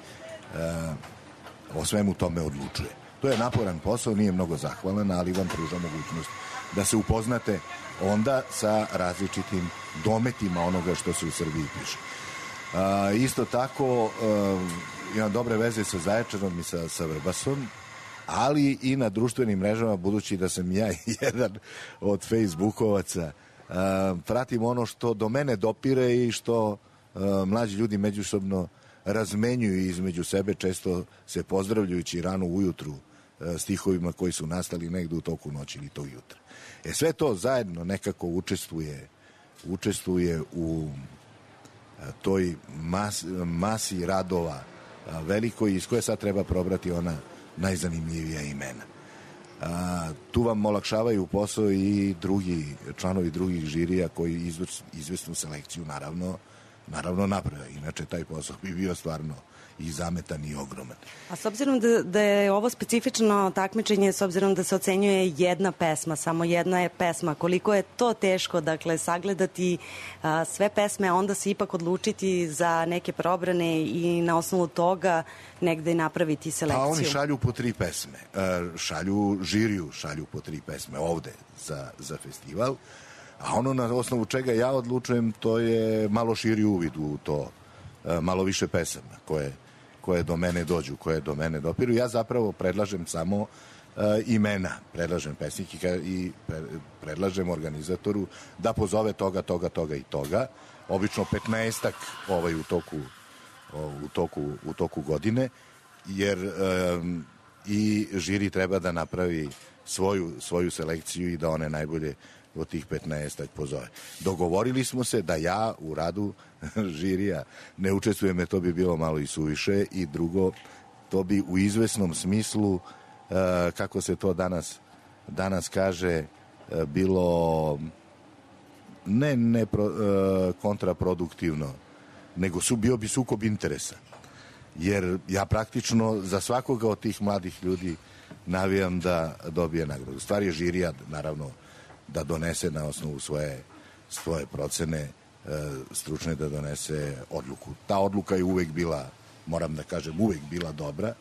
o svemu tome odlučuje. To je naporan posao, nije mnogo zahvalan, ali vam pruža mogućnost da se upoznate onda sa različitim dometima onoga što se u Srbiji piše. Isto tako imam dobre veze sa Zaječarom i sa Vrbasom, ali i na društvenim mrežama, budući da sam ja jedan od Facebookovaca, pratim ono što do mene dopire i što mlađi ljudi međusobno razmenjuju između sebe, često se pozdravljajući rano ujutru stihovima koji su nastali negde u toku noći ili tog jutra. Sve to zajedno nekako učestvuje u toj masi radova velikoj iz koje sad treba probrati ona najzanimljivija imena. Tu vam olakšavaju posao i članovi drugih žirija koji izvesnu selekciju naravno naprave. Inače taj posao bi bio stvarno i zametan i ogroman. A s obzirom da je ovo specifično takmičenje, s obzirom da se ocenjuje jedna pesma, samo jedna je pesma, koliko je to teško, dakle, sagledati sve pesme, a onda se ipak odlučiti za neke probrane i na osnovu toga negde napraviti selekciju? A oni šalju po 3 pesme. Žiriju šalju po 3 pesme ovde za festival, a ono na osnovu čega ja odlučujem, to je malo širi uvid u to, malo više pesama koje do mene dođu, koje do mene dopiru. Ja zapravo predlažem samo imena, predlažem pesnike i predlažem organizatoru da pozove toga i toga. Obično 15-ak u toku godine, jer i žiri treba da napravi svoju selekciju i da one najbolje od tih 15-ak pozove. Dogovorili smo se da ja u radu žirija ne učestvujem, jer to bi bilo malo i suviše, i drugo, to bi u izvesnom smislu, kako se to danas kaže, bilo ne kontraproduktivno, nego bio bi sukob interesa. Jer ja praktično za svakoga od tih mladih ljudi navijam da dobije nagradu. Stvar je žirija, naravno, da donese na osnovu svoje procene stručne da donese odluku. Ta odluka je uvek bila, moram da kažem, uvek bila dobra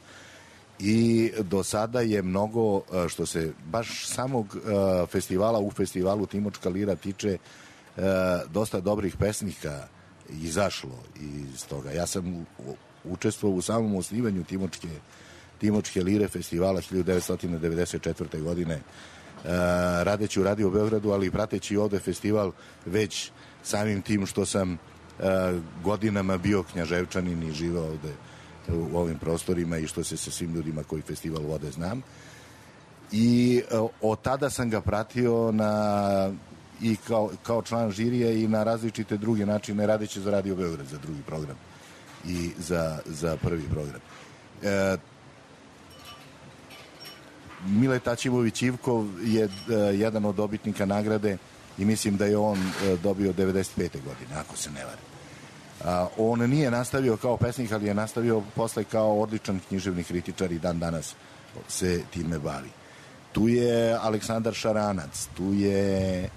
i do sada je mnogo, što se baš samog festivala u festivalu Timočka lira tiče, dosta dobrih pesnika izašlo iz toga. Ja sam učestvovao u samom osnivanju Timočke lire festivala 1994. godine, radeći u Radio Beogradu, ali i prateći ovde festival već samim tim što sam godinama bio Knjaževčanin i živao ovde u ovim prostorima i što se sa svim ljudima koji festival vode znam. I od tada sam ga pratio i kao član žirija i na različite druge načine, radeći za Radio Beograd, za drugi program i za prvi program. Mile Tačimović Ivkov je jedan od dobitnika nagrade i mislim da je on dobio 95. godine, ako se ne varam. On nije nastavio kao pesnik, ali je nastavio posle kao odličan književni kritičar i dan danas se time bavi. Tu je Aleksandar Šaranac, tu je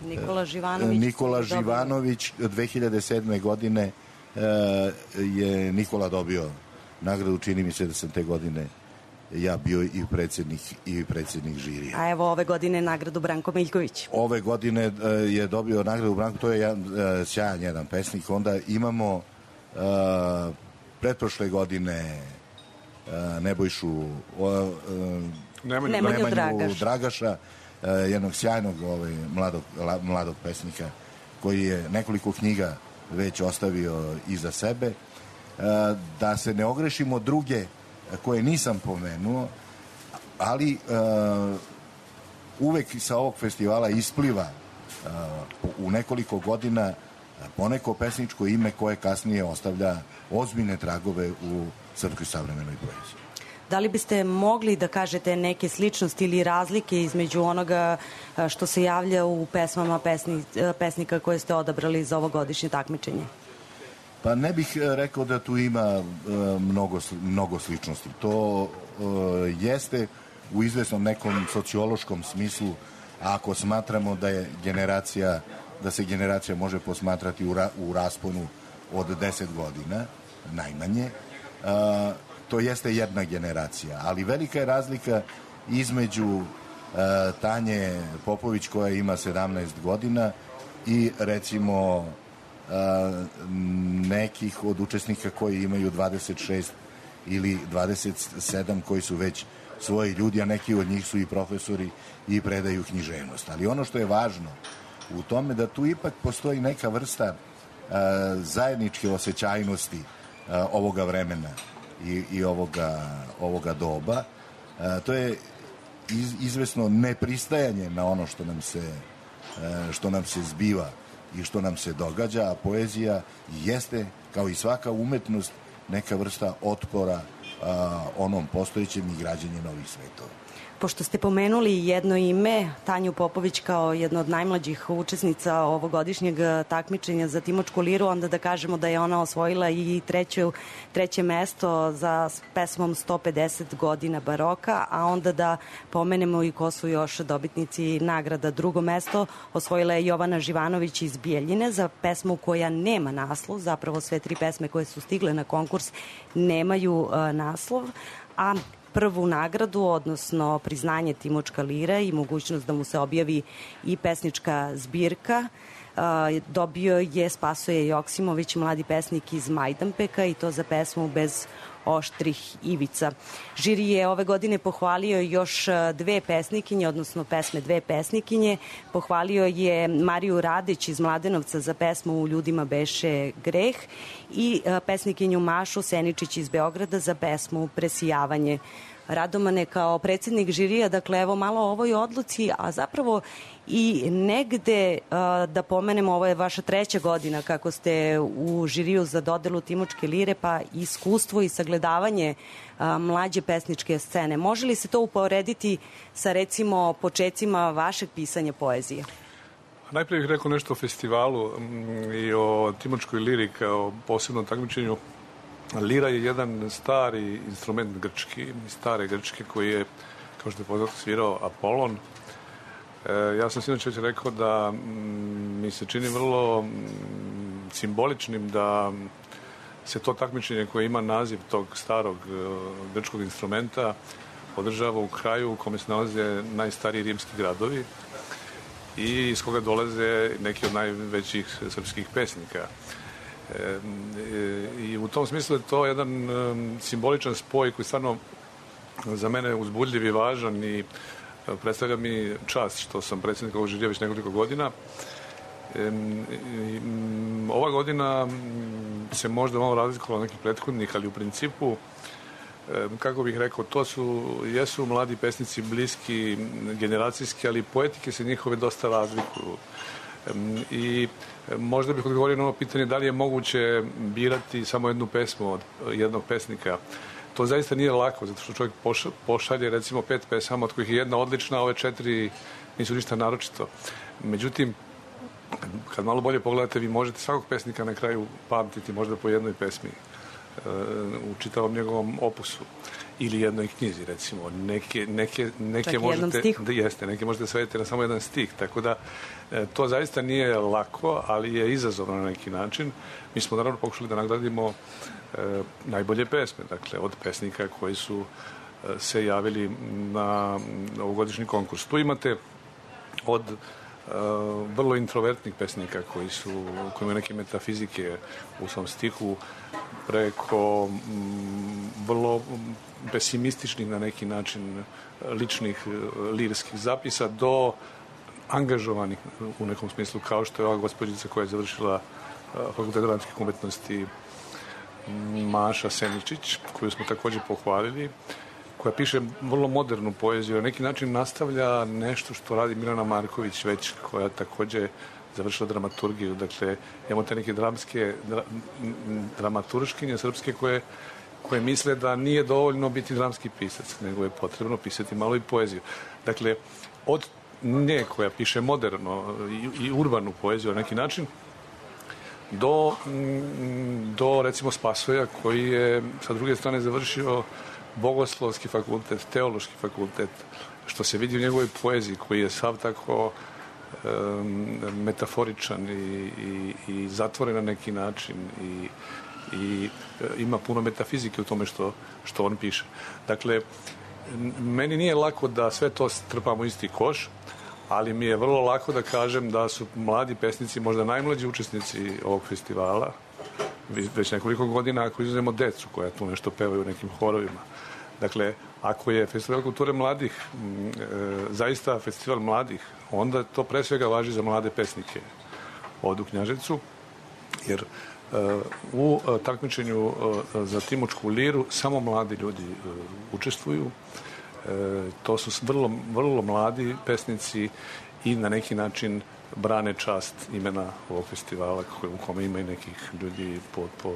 Nikola Živanović. 2007. godine je Nikola dobio nagradu, čini mi se da sam te godine ja bio i predsednik žirija. A evo ove godine nagradu Branko Miljković. Ove godine je dobio nagradu Branko, to je sjajan jedan pesnik. Onda imamo pretprošle godine Nemanju Dragaša, jednog sjajnog mladog pesnika koji je nekoliko knjiga već ostavio iza sebe. Da se ne ogrešimo druge koje nisam pomenuo, ali uvek sa ovog festivala ispliva u nekoliko godina poneko pesničko ime koje kasnije ostavlja ozbiljne tragove u srpskoj savremenoj poeziji. Da li biste mogli da kažete neke sličnosti ili razlike između onoga što se javlja u pesmama pesnika koje ste odabrali za ovogodišnje takmičenje? Pa ne bih rekao da tu ima mnogo sličnosti. To jeste u izvesnom nekom sociološkom smislu, ako smatramo da se generacija može posmatrati u rasponu od 10 godina, najmanje, to jeste jedna generacija. Ali velika je razlika između Tanje Popović koja ima 17 godina i recimo nekih od učesnika koji imaju 26 ili 27 koji su već svoji ljudi, a neki od njih su i profesori i predaju književnost. Ali ono što je važno u tome da tu ipak postoji neka vrsta zajedničke osjećajnosti ovoga vremena i ovoga doba. To je izvesno nepristajanje na ono što nam se zbiva i što nam se događa, a poezija jeste, kao i svaka umetnost, neka vrsta otpora onom postojećem i građenje novih svetova. Pošto ste pomenuli jedno ime, Tanju Popović kao jedno od najmlađih učesnica ovogodišnjeg takmičenja za Timočku liru, onda da kažemo da je ona osvojila i treće mesto za pesmom 150 godina baroka, a onda da pomenemo i ko su još dobitnici nagrada. Drugo mesto osvojila je Jovana Živanović iz Bijeljine za pesmu koja nema naslov, zapravo sve tri pesme koje su stigle na konkurs nemaju naslov, a prvu nagradu, odnosno priznanje Timočka lira i mogućnost da mu se objavi i pesnička zbirka, dobio je Spasoje Joksimović, mladi pesnik iz Majdanpeka, i to za pesmu Bez oštrih ivica. Žiri je ove godine pohvalio još dve pesnikinje, odnosno pesme dve pesnikinje. Pohvalio je Mariju Radić iz Mladenovca za pesmu U ljudima beše greh i pesnikinju Mašu Seničić iz Beograda za pesmu Presijavanje. Radomane, kao predsednik žirija, dakle evo malo o ovoj odluci, a zapravo i negde da pomenemo, ovo je vaša treća godina kako ste u žiriju za dodelu Timočke lire, pa iskustvo i sagledavanje mlađe pesničke scene. Može li se to uporediti sa recimo počecima vašeg pisanja poezije? Najprije bih rekao nešto o festivalu i o Timočkoj liri kao posebnom takmičenju. Lira je jedan stari instrument grčki, stare grčke, koji je, kao što je poznato, svirao Apolon. Ja sam sinoć već rekao da mi se čini vrlo simboličnim da se to takmičenje koje ima naziv tog starog grčkog instrumenta održava u kraju u kome se nalaze najstariji rimski gradovi i iz koga dolaze neki od najvećih srpskih pesnika. I u tom smislu je to jedan simboličan spoj koji stvarno za mene uzbudljiv i važan i predstavlja mi čast što sam predsjednik ovog žirija već nekoliko godina. Ova godina se možda malo razlikovala od nekih prethodnih, ali u principu, kako bih rekao, jesu mladi pesnici bliski, generacijski, ali poetike se njihove dosta razlikuju. I možda bih odgovorio na ovo pitanje da li je moguće birati samo jednu pesmu od jednog pesnika. To zaista nije lako, zato što čovjek pošalje recimo 5 pesama, od kojih je jedna odlična, a ove 4 nisu ništa naročito. Međutim, kad malo bolje pogledate, vi možete svakog pesnika na kraju pamtiti možda po jednoj pesmi u čitavom njegovom opusu ili jednoj knjizi, recimo. Neke možete svediti na samo jedan stih, tako da to zaista nije lako, ali je izazovno na neki način. Mi smo naravno pokušali da nagradimo najbolje pesme, dakle, od pesnika koji su se javili na ovogodišnji konkurs. Tu imate od vrlo introvertnih pesnika koji imaju neke metafizike u svom stihu, preko vrlo pesimističnih na neki način ličnih lirskih zapisa do angažovanih u nekom smislu, kao što je ova gospođica koja je završila Fakultet dramskih umetnosti, Maša Seničić, koju smo također pohvalili, koja piše vrlo modernu poeziju, na neki način nastavlja nešto što radi Milana Marković već, koja također završila dramaturgiju. Dakle, imamo te neke dramaturškinje srpske koje misle da nije dovoljno biti dramski pisac, nego je potrebno pisati malo i poeziju. Dakle, od nje koja piše moderno i urbanu poeziju na neki način, do recimo Spasoja koji je sa druge strane završio Bogoslovski fakultet, Teološki fakultet, što se vidi u njegovoj poeziji koji je sav tako metaforičan i zatvoren na neki način i ima puno metafizike u tome što on piše. Dakle, meni nije lako da sve to strpamo u isti koš, ali mi je vrlo lako da kažem da su mladi pesnici možda najmlađi učesnici ovog festivala već nekoliko godina, ako izuzmemo decu koja tu nešto pevaju u nekim horovima. Dakle, ako je Festival kulture mladih zaista festival mladih, onda to pre svega važi za mlade pesnike ovdje u Knjaževcu, jer u takmičenju za Timočku liru samo mladi ljudi učestvuju. To su vrlo mladi pesnici i na neki način brane čast imena ovog festivala u kome ima i nekih ljudi po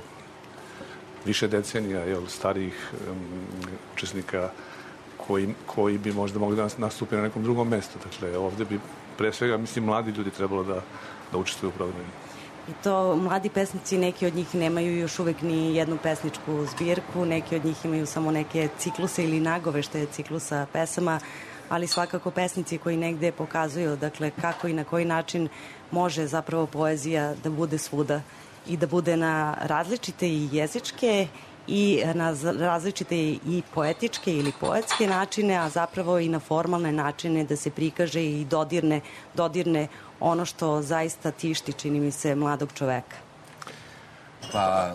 više decenija, starijih učesnika koji bi možda mogli da nastupi na nekom drugom mjestu. Dakle, ovdje bi pre svega, mislim, mladi ljudi trebalo da učestvuju u programu. I to mladi pesnici, neki od njih nemaju još uvek ni jednu pesničku zbirku, neki od njih imaju samo neke cikluse ili nagovešte ciklusa pesama, ali svakako pesnici koji negde pokazuju, dakle, kako i na koji način može zapravo poezija da bude svuda i da bude na različite i jezičke i na različite i poetičke ili poetske načine, a zapravo i na formalne načine da se prikaže i dodirne ono što zaista tišti, čini mi se, mladog čoveka. Pa,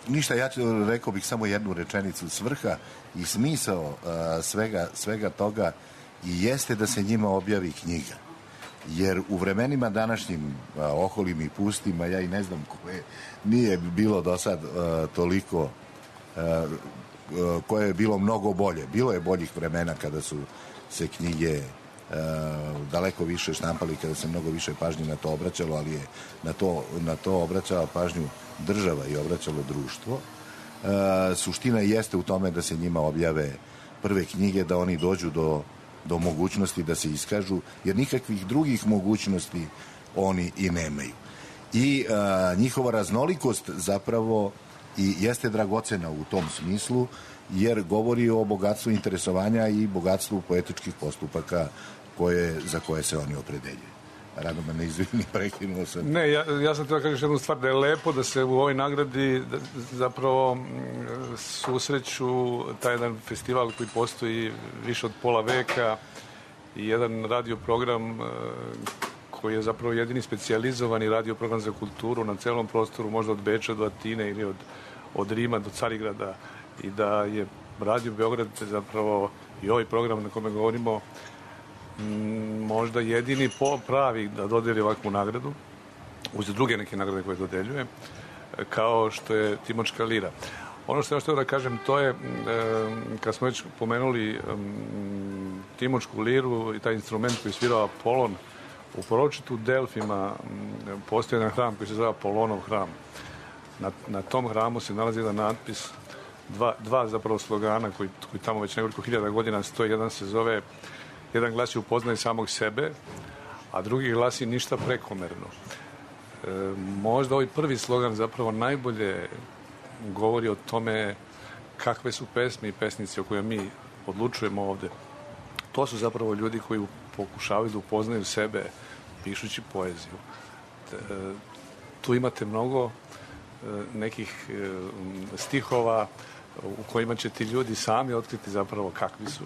ništa, ja rekao bih samo jednu rečenicu. Svrha i smisao svega toga i jeste da se njima objavi knjiga. Jer u vremenima današnjim oholim i pustima, ja i ne znam koje nije bilo do sad toliko, koje je bilo mnogo bolje. Bilo je boljih vremena kada su se knjige daleko više štampali, kada se mnogo više pažnje na to obraćalo, ali je na to obraćala pažnju država i obraćalo društvo. Suština jeste u tome da se njima objave prve knjige, da oni dođu do mogućnosti da se iskažu, jer nikakvih drugih mogućnosti oni i nemaju. I njihova raznolikost zapravo i jeste dragocena u tom smislu, jer govori o bogatstvu interesovanja i bogatstvu poetičkih postupaka za koje se oni opredeljuju. Radoma, ne izvini, prekinuo sam. Ne, ja sam treba kažem jednu stvar, da je lepo da se u ovoj nagradi zapravo susreću taj jedan festival koji postoji više od pola veka i jedan radio program koji je zapravo jedini specijalizovani radio program za kulturu na celom prostoru, možda od Beča do Atine ili od Rima do Carigrada, i da je Radio Beograd zapravo i ovaj program na kome govorimo možda jedini pravi da dodeli ovakvu nagradu, uz druge neke nagrade koje dodeljuje, kao što je Timočka lira. Ono što ja htio da kažem, to je, kad smo već pomenuli Timočku liru i taj instrument koji svirao Apolon, u proročitu Delfima postoji jedan hram koji se zove Apolonov hram. Na tom hramu se nalazi jedan natpis, dva zapravo slogana koji tamo već nekoliko hiljada godina stoji. Jedan glasi upoznaj samog sebe, a drugi glasi ništa prekomerno. Možda ovaj prvi slogan zapravo najbolje govori o tome kakve su pesme i pesnici o kojima mi odlučujemo ovde. To su zapravo ljudi koji pokušavaju da upoznaju sebe pišući poeziju. Tu imate mnogo nekih stihova u kojima će ti ljudi sami otkriti zapravo kakvi su,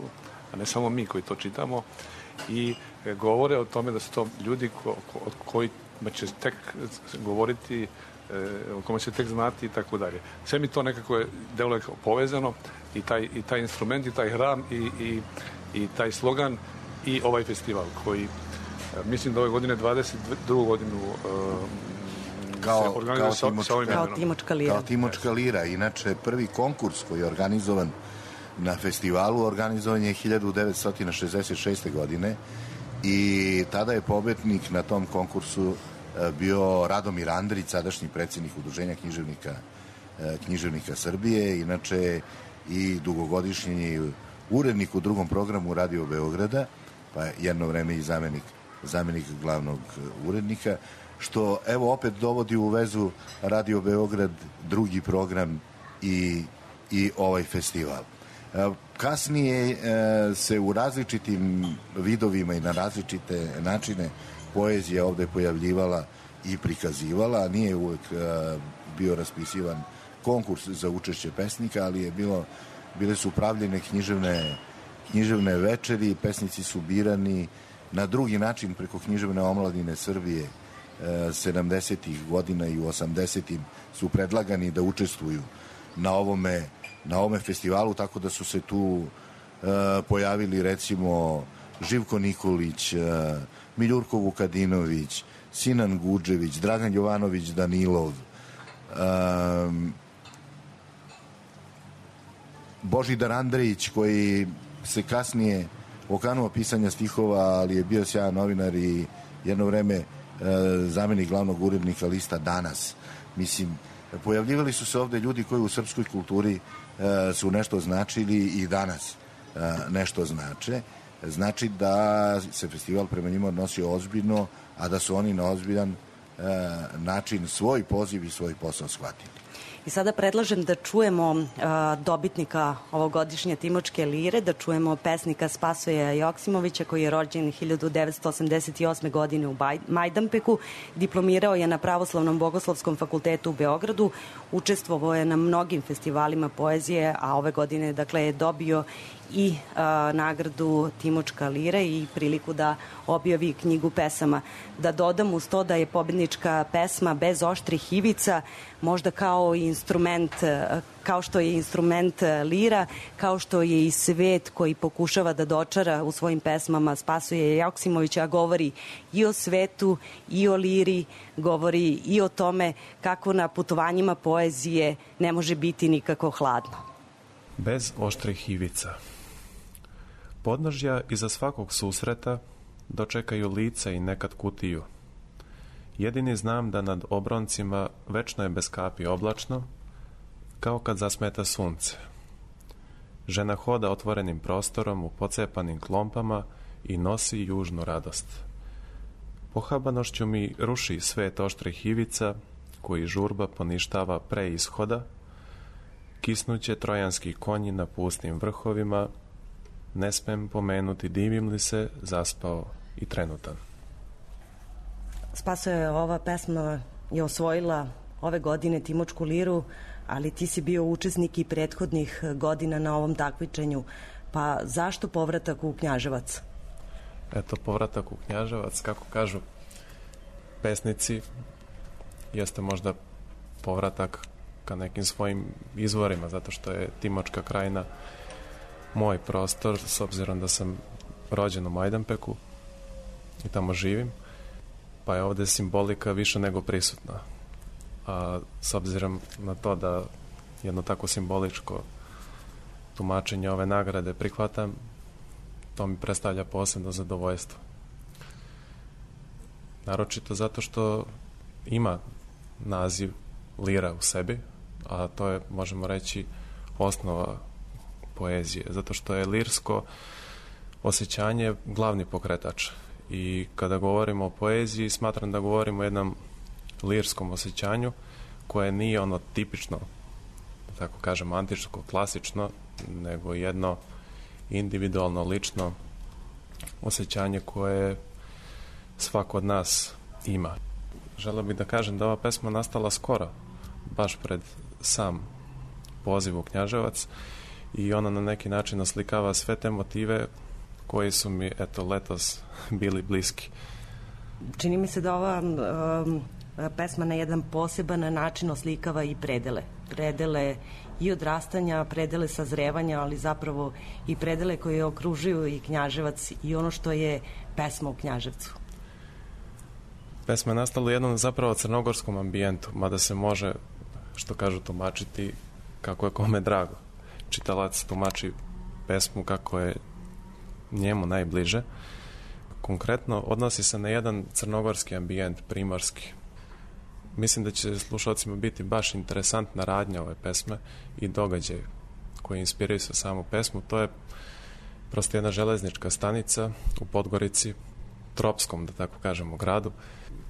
a ne samo mi koji to čitamo, i govore o tome da su to ljudi od kojima će tek govoriti, o kome će tek znati i tako dalje. Sve mi to nekako deluje kao povezano, i taj instrument, i taj hram, i taj slogan, i ovaj festival koji mislim da ove godine 22. godinu kao Timočka lira. Kao Timočka lira. Inače, prvi konkurs koji je organizovan na festivalu organizovan je 1966. godine i tada je pobednik na tom konkursu bio Radomir Andrić, sadašnji predsjednik Udruženja književnika Srbije, inače i dugogodišnji urednik u drugom programu Radio Beograda, pa jedno vreme i zamenik glavnog urednika, što evo opet dovodi u vezu Radio Beograd, drugi program i ovaj festival. Kasnije se u različitim vidovima i na različite načine poezija ovde pojavljivala i prikazivala, nije uvek bio raspisivan konkurs za učešće pesnika, ali bile su pravljene književne večeri, pesnici su birani na drugi način preko književne omladine Srbije 70. godina i u 80. su predlagani da učestvuju na ovome festivalu, tako da su se tu pojavili recimo Živko Nikolić, Miljurko Vukadinović, Sinan Guđević, Dragan Jovanović Danilov, Božidar Andrejić, koji se kasnije okanuo pisanja stihova, ali je bio sjajan novinar i jedno vreme zamenik glavnog urednika lista Danas. Mislim, pojavljivali su se ovde ljudi koji u srpskoj kulturi su nešto značili i danas nešto znače. Znači da se festival prema njima odnosio ozbiljno, a da su oni na ozbiljan način svoj poziv i svoj posao shvatili. I sada predlažem da čujemo dobitnika ovogodišnje Timočke lire, da čujemo pesnika Spasoja Joksimovića, koji je rođen 1988. godine u Majdanpeku, diplomirao je na Pravoslavnom bogoslovskom fakultetu u Beogradu, učestvovao je na mnogim festivalima poezije, a ove godine je dobio i nagradu Timočka lira i priliku da objavi knjigu pesama. Da dodam uz to da je pobednička pesma Bez oštrih ivica možda kao instrument, kao što je instrument lira, kao što je i svet koji pokušava da dočara u svojim pesmama Spasoje Joksimovića, a govori i o svetu, i o liri, govori i o tome kako na putovanjima poezije ne može biti nikako hladno. Bez oštrih ivica. Podnožja iza svakog susreta dočekaju lica i nekad kutiju. Jedini znam da nad obroncima večno je bez kapi oblačno, kao kad zasmeta sunce. Žena hoda otvorenim prostorom u pocepanim klompama i nosi južnu radost. Pohabanošću mi ruši svet oštrih ivica, koji žurba poništava pre ishoda, Kisnuće trojanski konji na pustim vrhovima, ne smem pomenuti divim li se, zaspao i trenutan. Spasoje, ova pesma je osvojila ove godine Timočku liru, ali ti si bio učesnik i prethodnih godina na ovom takmičenju, pa zašto povratak u Knjaževac? Eto, povratak u Knjaževac, kako kažu pesnici, jeste možda povratak ka nekim svojim izvorima, zato što je Timočka krajina moj prostor, s obzirom da sam rođen u Majdanpeku i tamo živim, pa je ovde simbolika više nego prisutna. A s obzirom na to da jedno tako simboličko tumačenje ove nagrade prihvatam, to mi predstavlja posebno zadovoljstvo. Naročito zato što ima naziv lira u sebi, a to je, možemo reći, osnova poezije, zato što je lirsko osjećanje glavni pokretač. I kada govorimo o poeziji, smatram da govorimo o jednom lirskom osjećanju koje nije ono tipično, tako kažem, antičko, klasično, nego jedno individualno, lično osjećanje koje svako od nas ima. Želeo bih da kažem da ova pesma nastala skoro, baš pred sam poziv u Knjaževac, i ona na neki način oslikava sve te motive koji su mi, eto, letos bili bliski. Čini mi se da ova pesma na jedan poseban način oslikava i predele. Predele i odrastanja, predele sazrevanja, ali zapravo i predele koje okružuju i Knjaževac i ono što je pesma u Knjaževcu. Pesma je nastala u jednom zapravo crnogorskom ambijentu, mada se može, što kažu, tumačiti kako je kome drago. Čitalac tumači pesmu kako je njemu najbliže. Konkretno odnosi se na jedan crnogorski ambijent, primorski. Mislim da će slušalcima biti baš interesantna radnja ove pesme i događaj koji inspiraju se samu pesmu. To je prosto jedna železnička stanica u Podgorici, tropskom, da tako kažemo, gradu,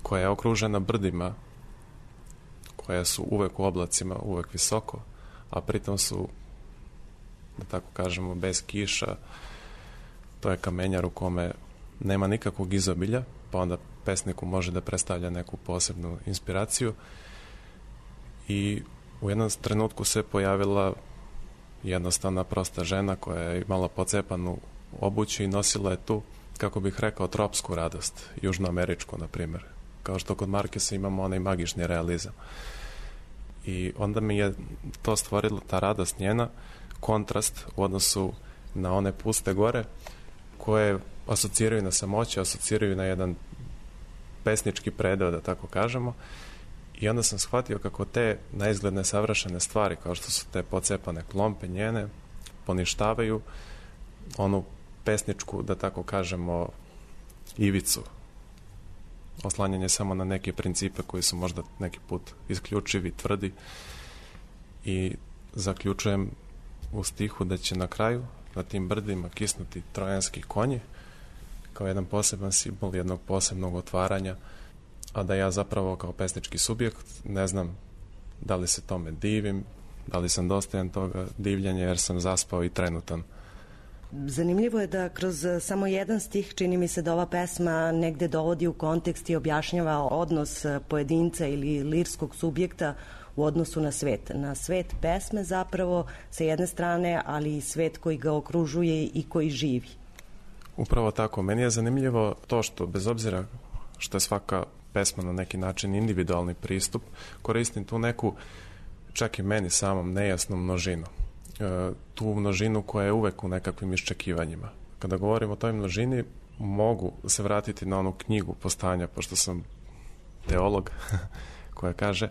koja je okružena brdima, koja su uvek u oblacima, uvek visoko, a pritom su, da tako kažemo, bez kiša. To je kamenjar u kome nema nikakvog izobilja, pa onda pesniku može da predstavlja neku posebnu inspiraciju. I u jednom trenutku se pojavila jednostavna prosta žena koja je imala pocepanu obuću i nosila je tu, kako bih rekao, tropsku radost, južnoameričku, na primjer. Kao što kod Markesa imamo onaj magični realizam. I onda mi je to stvorilo, ta radost njena, kontrast u odnosu na one puste gore, koje asociraju na samoće, asociraju na jedan pesnički predeo, da tako kažemo. I onda sam shvatio kako te naizgledne savršene stvari, kao što su te pocepane klompe njene, poništavaju onu pesničku, da tako kažemo, ivicu. Oslanjanje samo na neke principe koji su možda neki put isključivi, tvrdi. I zaključujem u stihu da će na kraju na tim brdima kisnuti trojanski konji kao jedan poseban simbol jednog posebnog otvaranja, a da ja zapravo kao pesnički subjekt ne znam da li se tome divim, da li sam dostojan toga divljenja jer sam zaspao i trenutan. Zanimljivo je da kroz samo jedan stih čini mi se da ova pesma negde dovodi u kontekst i objašnjava odnos pojedinca ili lirskog subjekta u odnosu na svet. Na svet pesme zapravo sa jedne strane, ali i svet koji ga okružuje i koji živi. Upravo tako. Meni je zanimljivo to što, bez obzira što je svaka pesma na neki način individualni pristup, koristim tu neku, čak i meni samom, nejasnu množinu. Tu množinu koja je uvek u nekakvim iščekivanjima. Kada govorim o toj množini, mogu se vratiti na onu knjigu Postanja, pošto sam teolog, koja kaže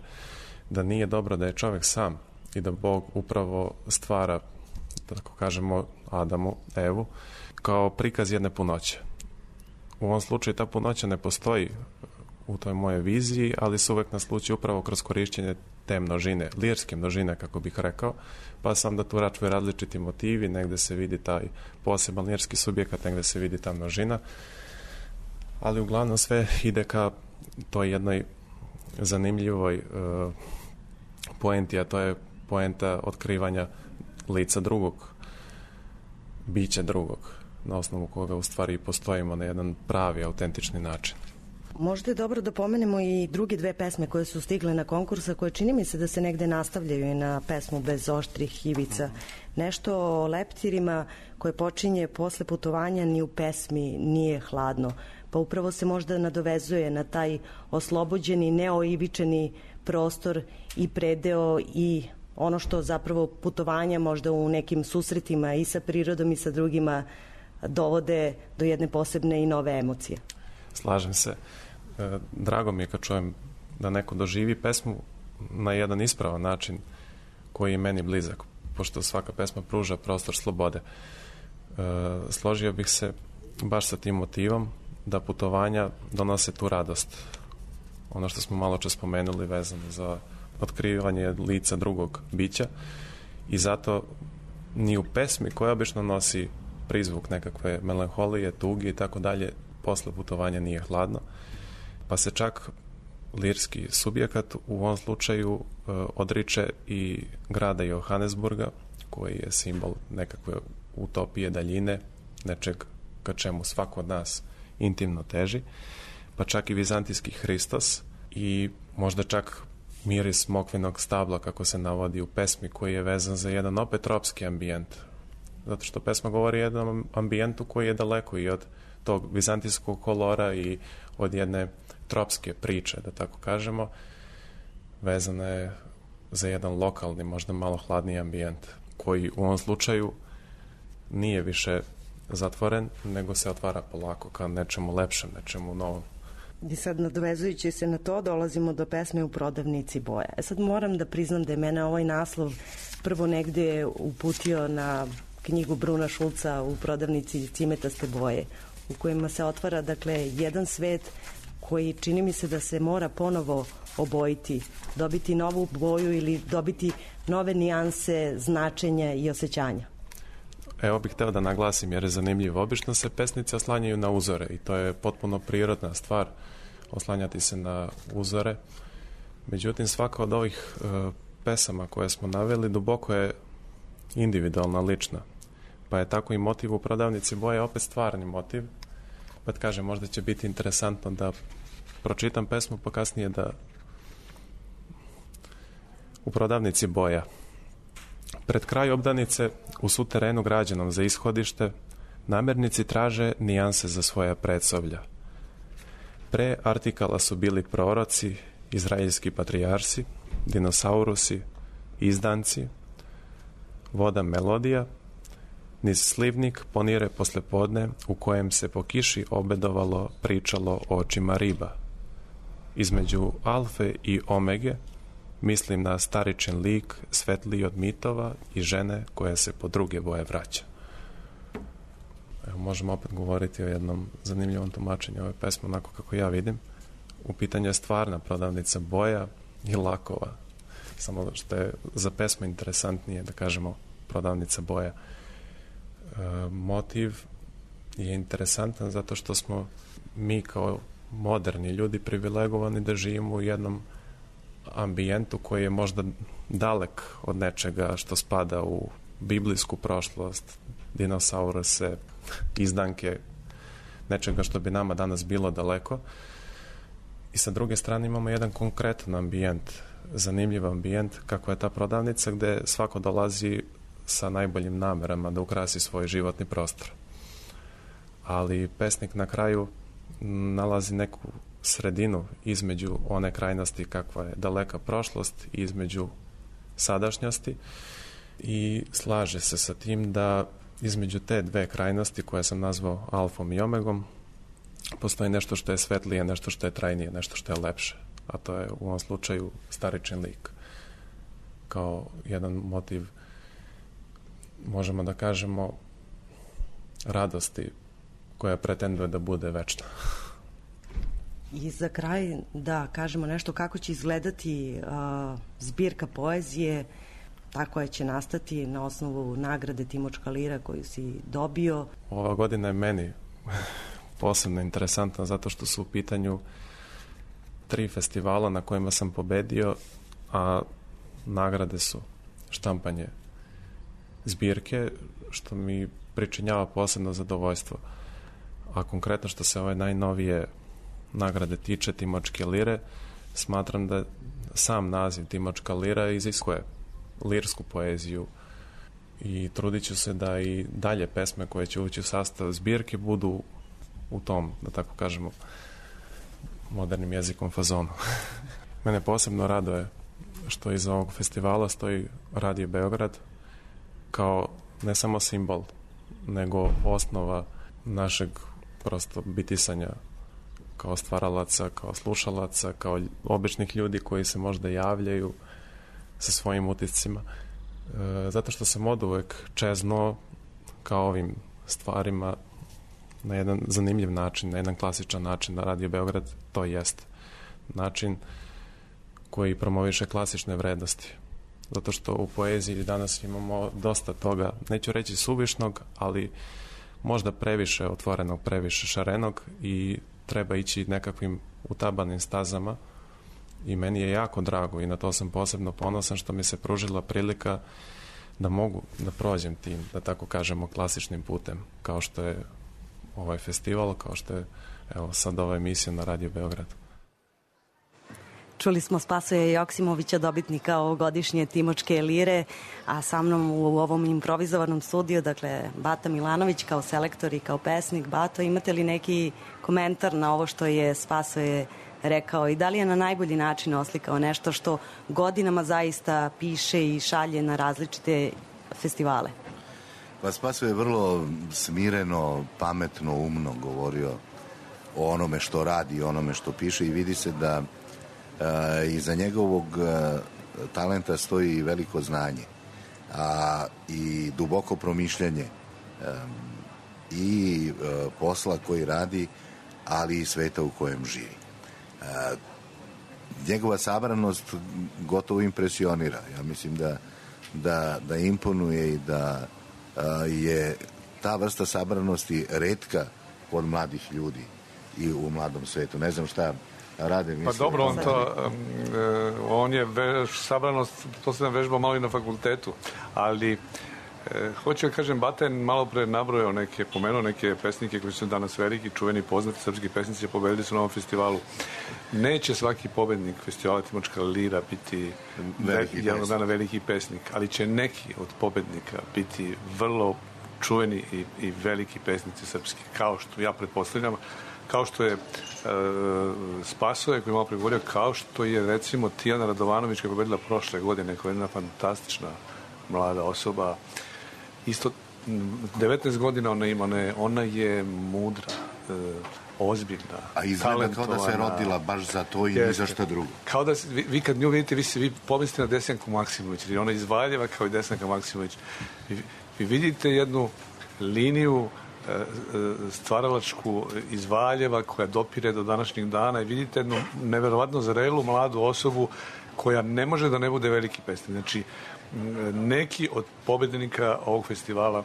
da nije dobro da je čovek sam i da Bog upravo stvara, da tako kažemo, Adamu, Evu, kao prikaz jedne punoće. U ovom slučaju ta punoća ne postoji u toj moje viziji, ali se uvek nasluči upravo kroz korišćenje te množine, lirske množine, kako bih rekao, pa sam da tu račuju različiti motivi, negde se vidi taj poseban lirski subjekat, negde se vidi ta množina, ali uglavnom sve ide ka toj jednoj zanimljivoj poenti, a to je poenta otkrivanja lica drugog, bića drugog, na osnovu koga u stvari postojimo na jedan pravi, autentični način. Možda je dobro da pomenemo i druge dve pesme koje su stigle na konkursa, koje čini mi se da se negde nastavljaju i na pesmu Bez oštrih ivica. Nešto o leptirima koje počinje posle putovanja ni u pesmi nije hladno. Pa upravo se možda nadovezuje na taj oslobođeni, neoivičeni prostor i predeo i ono što zapravo putovanja možda u nekim susretima i sa prirodom i sa drugima dovode do jedne posebne i nove emocije. Slažem se. Drago mi je kad čujem da neko doživi pesmu na jedan ispravan način koji je meni blizak, pošto svaka pesma pruža prostor slobode. Složio bih se baš sa tim motivom da putovanja donose tu radost. Ono što smo malo čas spomenuli vezano za otkrivanje lica drugog bića i zato ni u pesmi koja obično nosi prizvuk nekakve melanholije, tuge i tako dalje, posle putovanja nije hladno, pa se čak lirski subjekat u ovom slučaju odriče i grada Johannesburga, koji je simbol nekakve utopije, daljine, nečeg ka čemu svako od nas intimno teži, pa čak i vizantijski Hristos i možda čak miris smokvinog stabla, kako se navodi u pesmi, koji je vezan za jedan opet tropski ambijent. Zato što pesma govori o jednom ambijentu koji je daleko i od tog vizantijskog kolora i od jedne tropske priče, da tako kažemo, vezana je za jedan lokalni, možda malo hladniji ambijent, koji u ovom slučaju nije više zatvoren, nego se otvara polako ka nečemu lepšem, nečemu novom. I sad, nadovezujući se na to, dolazimo do pesme U prodavnici boja. Sad moram da priznam da je mene ovaj naslov prvo negde uputio na knjigu Bruna Šulca U prodavnici cimetaste boje, u kojima se otvara, dakle, jedan svet koji čini mi se da se mora ponovo obojiti, dobiti novu boju ili dobiti nove nijanse, značenja i osjećanja. Evo bih hteo da naglasim, jer je zanimljivo. Obično se pesnice oslanjaju na uzore i to je potpuno prirodna stvar, oslanjati se na uzore. Međutim, svaka od ovih pesama koje smo naveli duboko je individualna, lična. Pa je tako i motiv U prodavnici boje opet stvarni motiv. Pa kažem, možda će biti interesantno da pročitam pesmu, pa kasnije da U prodavnici boja. Pred kraj obdanice, u suterenu građenom za ishodište, namernici traže nijanse za svoja predsoblja. Pre artikala su bili proroci, izraelski patrijarsi, dinosaurusi, izdanci, voda melodija, niz slivnik ponire poslepodne u kojem se po kiši obedovalo, pričalo o očima riba. Između alfe i omege mislim na staričin lik svetliji od mitova i žene koja se po druge boje vraća. Evo, možemo opet govoriti o jednom zanimljivom tumačenju ove pesme, onako kako ja vidim. U pitanju je stvarna prodavnica boja i lakova. Samo što je za pesmu interesantnije, da kažemo, prodavnica boja. Motiv je interesantan zato što smo mi kao moderni ljudi privilegovani da živimo u jednom ambijentu koji je možda dalek od nečega što spada u biblijsku prošlost, dinosauruse, izdanke, nečega što bi nama danas bilo daleko. I sa druge strane imamo jedan konkretan ambijent, zanimljiv ambijent, kako je ta prodavnica gde svako dolazi sa najboljim namerama da ukrasi svoj životni prostor. Ali pesnik na kraju nalazi neku sredinu između one krajnosti kakva je daleka prošlost i između sadašnjosti i slaže se sa tim da između te dve krajnosti koje sam nazvao alfom i omegom postoji nešto što je svetlije, nešto što je trajnije, nešto što je lepše, a to je u ovom slučaju staričin lik kao jedan motiv, možemo da kažemo, radosti koja pretenduje da bude večna. I za kraj da kažemo nešto kako će izgledati zbirka poezije, ta koja će nastati na osnovu nagrade Timočka Lira koju si dobio. Ova godina je meni posebno interesantna zato što su u pitanju 3 festivala na kojima sam pobedio, a nagrade su štampanje zbirke, što mi pričinjava posebno zadovoljstvo. A konkretno što se ove najnovije nagrade tiče, Timočke lire, smatram da sam naziv Timočka lira iziskuje lirsku poeziju i trudit ću se da i dalje pesme koje će ući u sastav zbirke budu u tom, da tako kažemo, modernim jezikom fazonu. Mene posebno raduje što iza ovog festivala stoji Radio Beograd kao ne samo simbol, nego osnova našeg prosto bitisanja kao stvaralaca, kao slušalaca, kao običnih ljudi koji se možda javljaju sa svojim utiscima. Zato što sam oduvek čezno kao ovim stvarima na jedan zanimljiv način, na jedan klasičan način na Radio Beograd, to jest način koji promoviše klasične vrednosti. Zato što u poeziji danas imamo dosta toga, neću reći suvišnog, ali možda previše otvorenog, previše šarenog i treba ići nekakvim utabanim stazama i meni je jako drago i na to sam posebno ponosan što mi se pružila prilika da mogu da prođem tim, da tako kažemo, klasičnim putem, kao što je ovaj festival, kao što je evo sad ova emisija na Radio Beograd. Čuli smo Spasoja Joksimovića, dobitnika ovogodišnje Timočke lire, a sa mnom u ovom improvizovanom studiju, dakle, Bata Milanović kao selektor i kao pesnik. Bato, imate li neki komentar na ovo što je Spasoje rekao i da li je na najbolji način oslikao nešto što godinama zaista piše i šalje na različite festivale? Pa Spasoje je vrlo smireno, pametno, umno govorio o onome što radi, o onome što piše i vidi se da iza njegovog talenta stoji veliko znanje i duboko promišljanje i posla koji radi, ali i sveta u kojem živi. Njegova sabranost gotovo impresionira. Ja mislim da imponuje i da je ta vrsta sabranosti retka kod mladih ljudi i u mladom svetu. Ne znam šta rade. Pa dobro, on je sabranost, to se nam vežba malo i na fakultetu, ali hoću da kažem, Bata je malo pre nabrojao pomenuo neke pesnike koji su danas veliki, čuveni, poznati srpski pesnici, pobedili su na ovom festivalu. Neće svaki pobednik festivala Timočka lira biti jednog dana veliki pesnik, ali će neki od pobednika biti vrlo čuveni i veliki pesnici srpski, kao što ja pretpostavljam, kao što je Spasoje koji je malo pregovorio, kao što je recimo Tijana Radovanović koja je pobedila prošle godine, koja je jedna fantastična mlada osoba. Isto 19 godina ona ima, ona je mudra, ozbiljna, a izgleda kao da se rodila baš za to i ni za što drugo. Kao da vi kad nju vidite, vi pomislite na Desanku Maksimović, jer ona iz Valjeva kao i Desanka Maksimović. Vi vidite jednu liniju stvaralačku iz Valjeva koja dopire do današnjeg dana i vidite jednu neverovatno zrelu mladu osobu koja ne može da ne bude veliki pesnik. Znači, neki od pobednika ovog festivala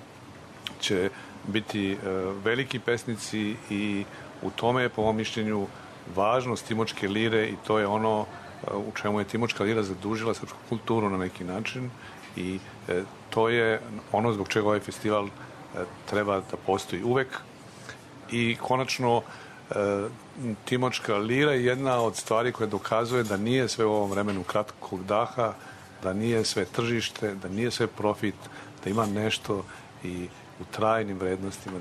će biti veliki pesnici i u tome je, po mom mišljenju, važnost Timočke lire i to je ono u čemu je Timočka lira zadužila srpsku kulturu na neki način i to je ono zbog čega ovaj festival treba da postoji uvek. I konačno Timočka lira je jedna od stvari koja dokazuje da nije sve u ovom vremenu kratkog daha, da nije sve tržište, da nije sve profit, da ima nešto i u trajnim vrednostima,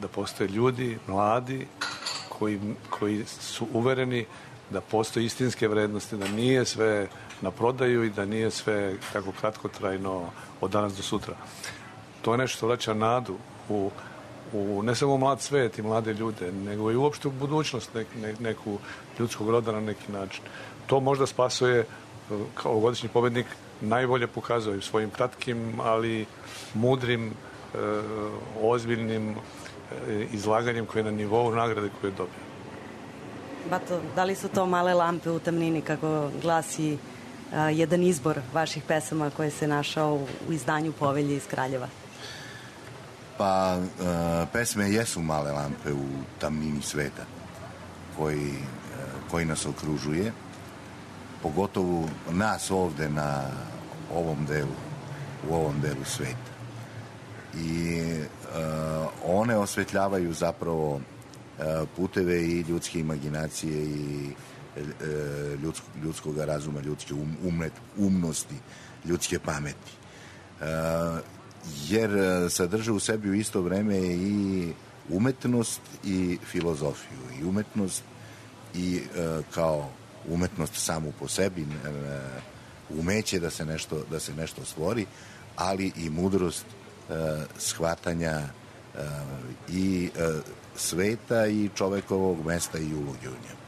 da postoje ljudi, mladi, koji su uvereni da postoje istinske vrednosti, da nije sve na prodaju i da nije sve tako kratkotrajno od danas do sutra. To je nešto što vraća nadu u ne samo mlad svet i mlade ljude, nego i uopšte u budućnost neku ljudskog roda na neki način. To možda Spasoje kao godišnji pobednik najbolje pokazuje svojim kratkim, ali mudrim, ozbiljnim izlaganjem koje je na nivou nagrade koju je dobio. Bato, da li su to male lampe u tamnini, kako glasi jedan izbor vaših pesama koji se našao u izdanju Povelje iz Kraljeva? Pa, pesme jesu male lampe u tamnini sveta koji nas okružuje, pogotovo nas ovde na ovom delu u ovom delu sveta. I one osvetljavaju zapravo puteve i ljudske imaginacije i ljudskog razuma, ljudske umnosti, ljudske pameti. Jer sadrže u sebi u isto vreme i umetnost i filozofiju. I umetnost i kao umetnost samu po sebi, umeće da se nešto stvori, ali i mudrost shvatanja i sveta i čovekovog mesta i uloge u njemu.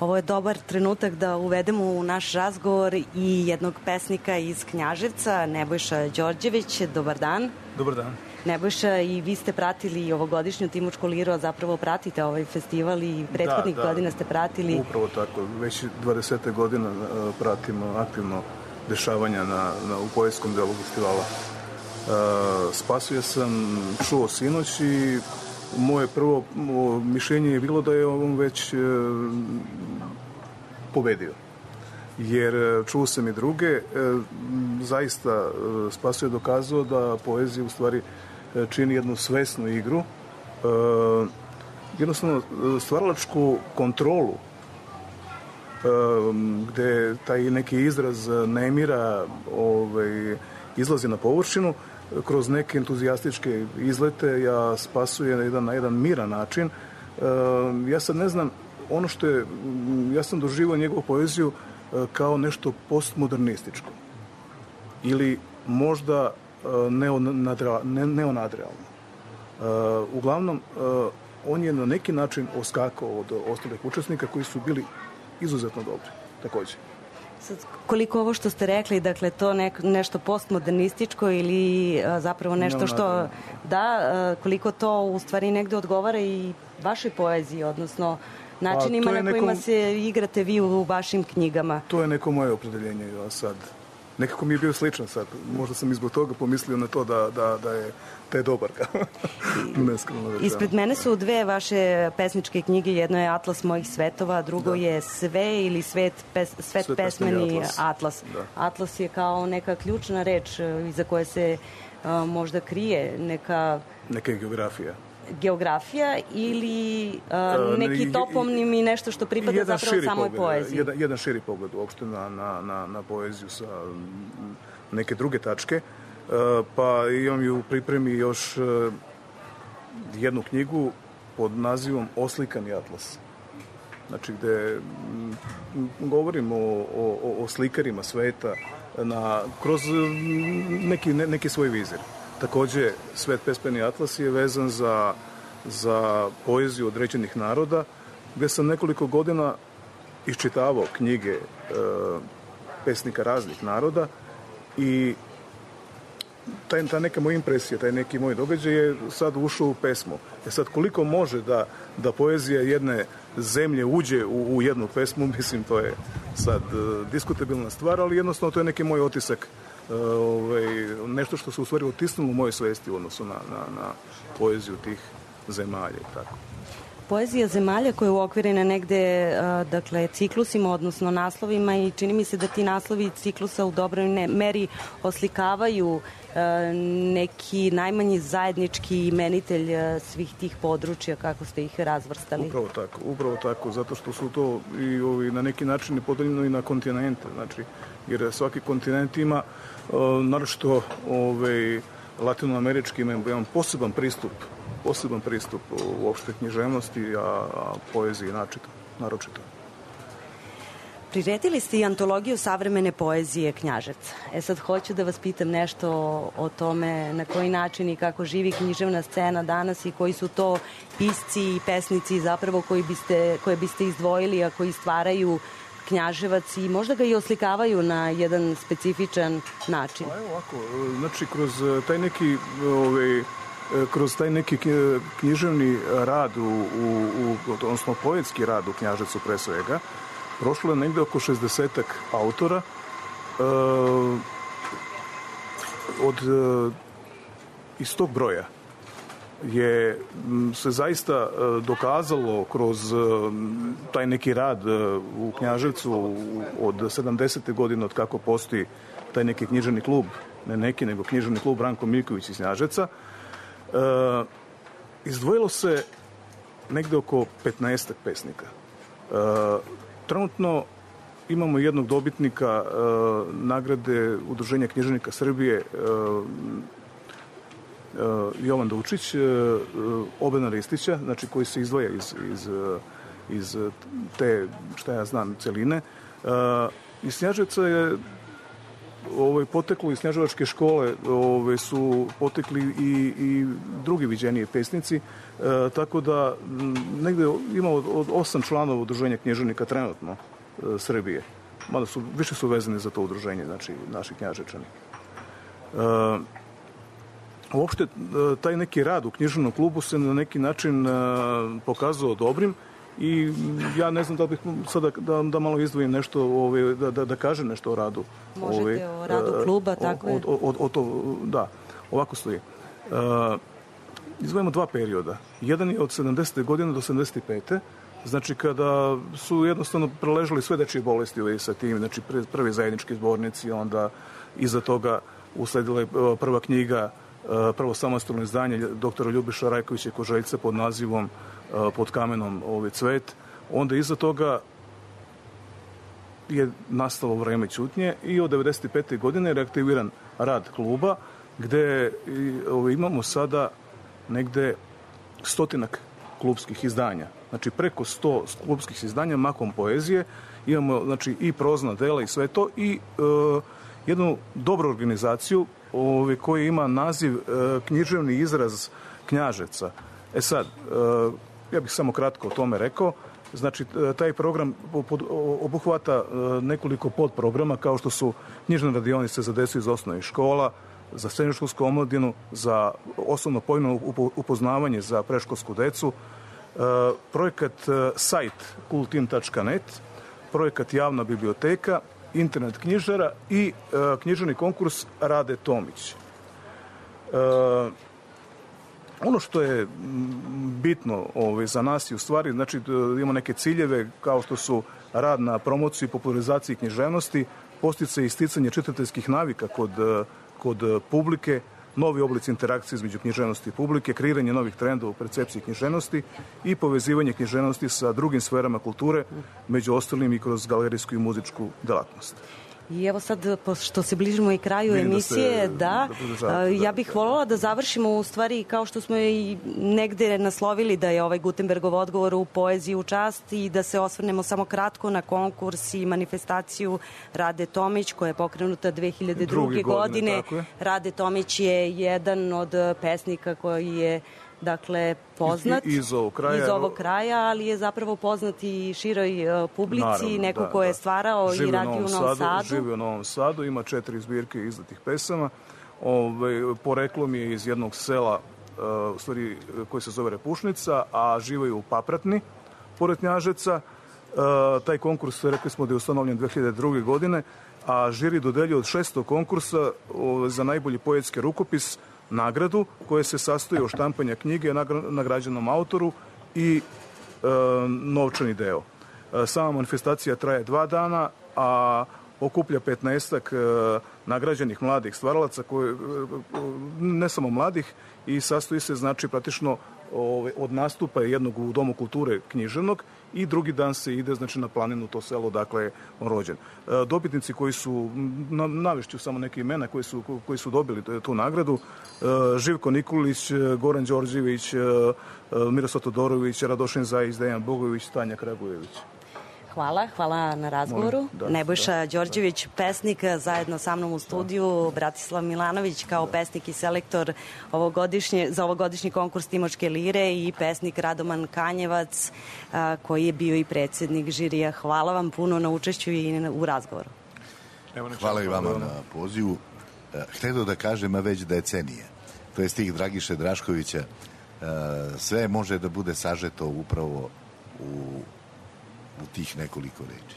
Ovo je dobar trenutak da uvedemo u naš razgovor i jednog pesnika iz Knjaževca, Nebojša Đorđević. Dobar dan. Dobar dan. Nebojša, i vi ste pratili ovogodišnju Timočku liru, a zapravo pratite ovaj festival i prethodnih godina ste pratili. Upravo tako. Već 20 godina pratimo aktivno dešavanja u poetskom delu festivala. Spasuje sam čuo sinoć i moje prvo mišljenje je bilo da je on već pobedio. Jer čuo sam i druge, zaista Spasio je dokazao da poezija u stvari čini jednu svesnu igru, jednostavno stvaralačku kontrolu, gde taj neki izraz nemira izlazi na površinu, kroz neke entuzijastičke izlete ja Spasuje na jedan miran način. Ja sad ne znam, ono što je, ja sam doživao njegovu poeziju kao nešto postmodernističko ili možda neonadrealno. Uglavnom, on je na neki način oskakao od ostalih učesnika koji su bili izuzetno dobri, takođe. Sad, koliko ovo što ste rekli, dakle, to nešto postmodernističko ili zapravo nešto što, koliko to u stvari negde odgovara i vašoj poeziji, odnosno načinima na kojima se igrate vi u vašim knjigama? To je neko moje opredeljenje, ja sad. Nekako mi je bio sličan sad. Možda sam izbog toga pomislio na to da je dobar. Ispred mene su dve vaše pesničke knjige. Jedno je Atlas mojih svetova, drugo je Sve ili Svet pesmeni Atlas. Atlas je kao neka ključna reč iza koje se možda krije neka geografija ili neki toponim i nešto što pripada zapravo samoj poeziji. Jedan širi pogled uopšte na poeziju sa neke druge tačke. Pa imam i u pripremi još jednu knjigu pod nazivom Oslikani atlas. Znači gde govorim o slikarima sveta kroz neki svoj vizir. Takođe, Svet pesmeni atlas je vezan za poeziju određenih naroda, gde sam nekoliko godina iščitavao knjige pesnika raznih naroda i ta neka moja impresija, taj neki moj događaj je sad ušao u pesmu. Sad, koliko može da poezija jedne zemlje uđe u jednu pesmu, mislim, to je sad diskutabilna stvar, ali jednostavno to je neki moj otisak, nešto što se u stvari otisnulo u mojoj svesti u odnosu na poeziju tih zemalja i tako. Poezija zemalja koja je uokvirena negde, dakle, ciklusima, odnosno naslovima, i čini mi se da ti naslovi ciklusa u dobroj meri oslikavaju neki najmanji zajednički imenitelj svih tih područja, kako ste ih razvrstali. Upravo tako, zato što su to i na neki način podeljeno i na kontinente, znači, jer svaki kontinent ima, naročito latinoamerički, ima jedan poseban pristup uopšte književnosti, a poeziji naročito. Priredili ste i antologiju savremene poezije Knjaževca. Sad hoću da vas pitam nešto o tome na koji način i kako živi književna scena danas i koji su to pisci i pesnici zapravo koje biste izdvojili, a koji stvaraju Knjaževac i možda ga i oslikavaju na jedan specifičan način. Evo ovako, znači kroz taj neki književni rad, odnosno poetski rad u Knjaževcu pre svega, prošlo je negde oko 60-ak autora. Iz tog broja je se zaista dokazalo kroz taj neki rad u Knjaževcu od 70. godine, od kako postoji taj neki književni klub ne neki, nego književni klub Branko Miljković iz Knjaževca, izdvojilo se negde oko 15 pesnika. Trenutno imamo jednog dobitnika nagrade Udruženja književnika Srbije, Jovan Dučić, Obena Ristića, znači koji se izdvaja iz te, šta ja znam, celine. Iz Knjaževca je poteklo iz knjaževačke škole, su potekli i drugi viđeniji pesnici, tako da negde ima od 8 članova udruženja književnika trenutno Srbije. Mada više su vezani za to udruženje, znači naši Knjaževčani. Uopšte, taj neki rad u književnom klubu se na neki način pokazao dobrim i ja ne znam da bih sada da malo izdvojim nešto, da kažem nešto o radu. Možete o radu kluba, tako je? Da, ovako stoji. Izdvojimo 2 perioda. Jedan je od 70. godine do 75. Znači kada su jednostavno preležali sve dečije bolesti sa tim, znači prvi zajednički zbornici, onda iza toga usledila je prva knjiga, prvo samostalno izdanje doktora Ljubiša Rajkovića Koželjca pod nazivom Pod kamenom cvet. Onda iza toga je nastalo vreme ćutnje i od 95. godine je reaktiviran rad kluba, gde imamo sada negde 100 klubskih izdanja. Znači preko 100 klubskih izdanja, mahom poezije. Imamo znači i prozna dela i sve to i jednu dobru organizaciju koja ima naziv književni izraz Knjaževca. Sad, ja bih samo kratko o tome rekao. Znači, taj program obuhvata nekoliko podprograma kao što su knjižne radionice za decu iz osnovnih škola, za srednjoškolsku omladinu, za osnovno pojmovno upoznavanje za preškolsku decu, projekat sajt kultin.net, projekat javna biblioteka, internet knjižara i književni konkurs Rade Tomić. Ono što je bitno za nas i u stvari, znači imamo neke ciljeve kao što su rad na promociji i popularizaciji književnosti, podsticaj i isticanje čitateljskih navika kod publike, novi oblici interakcije između književnosti i publike, kreiranje novih trendova u percepciji književnosti i povezivanje književnosti sa drugim sferama kulture, među ostalim i kroz galerijsku i muzičku delatnost. I evo sad, pošto se bližimo i kraju emisije, ja bih voljela da završimo u stvari kao što smo i negde naslovili da je ovaj Gutenbergov odgovor u poeziji u čast i da se osvrnemo samo kratko na konkurs i manifestaciju Rade Tomić koja je pokrenuta 2002. godine. Rade Tomić je jedan od pesnika koji je poznat iz ovog kraja, ali je zapravo poznat i široj publici, neko ko je stvarao i radio u Novom Sadu. Živi u Novom Sadu, ima 4 zbirke izdatih pesama. Poreklom je iz jednog sela u stvari koji se zove Repušnica, a žive u Papratni, pored Knjaževca. Taj konkurs, rekli smo da je ustanovljen 2002. godine, a žiri dodeljuje od 600 konkursa za najbolji poetski rukopis nagradu koja se sastoji od štampanja knjige nagrađenom autoru i novčani deo. Sama manifestacija traje 2 dana, a okuplja 15-ak nagrađenih mladih stvaralaca, ne samo mladih, i sastoji se znači praktično od nastupa jednog u Domu kulture književnog i drugi dan se ide znači na planinu, to selo dakle je on rođen. Dobitnici koji su, navešću samo neke imena koji su dobili tu nagradu: Živko Nikolić, Goran Đorđević, Miroslav Todorović, Radošin Zajić, Dejan Bogović, Tanja Kragujević. Hvala na razgovoru. Nebojša Đorđević, pesnik, zajedno sa mnom u studiju, Bratislav Milanović kao pesnik i selektor za ovogodišnji konkurs Timočke lire i pesnik Radoman Kanjevac koji je bio i predsjednik žirija. Hvala vam puno na učešću i u razgovoru. Hvala i vama na pozivu. Htedo da kažem, a već decenije. To je stih Dragiše Draškovića. Sve može da bude sažeto upravo u tih nekoliko reči.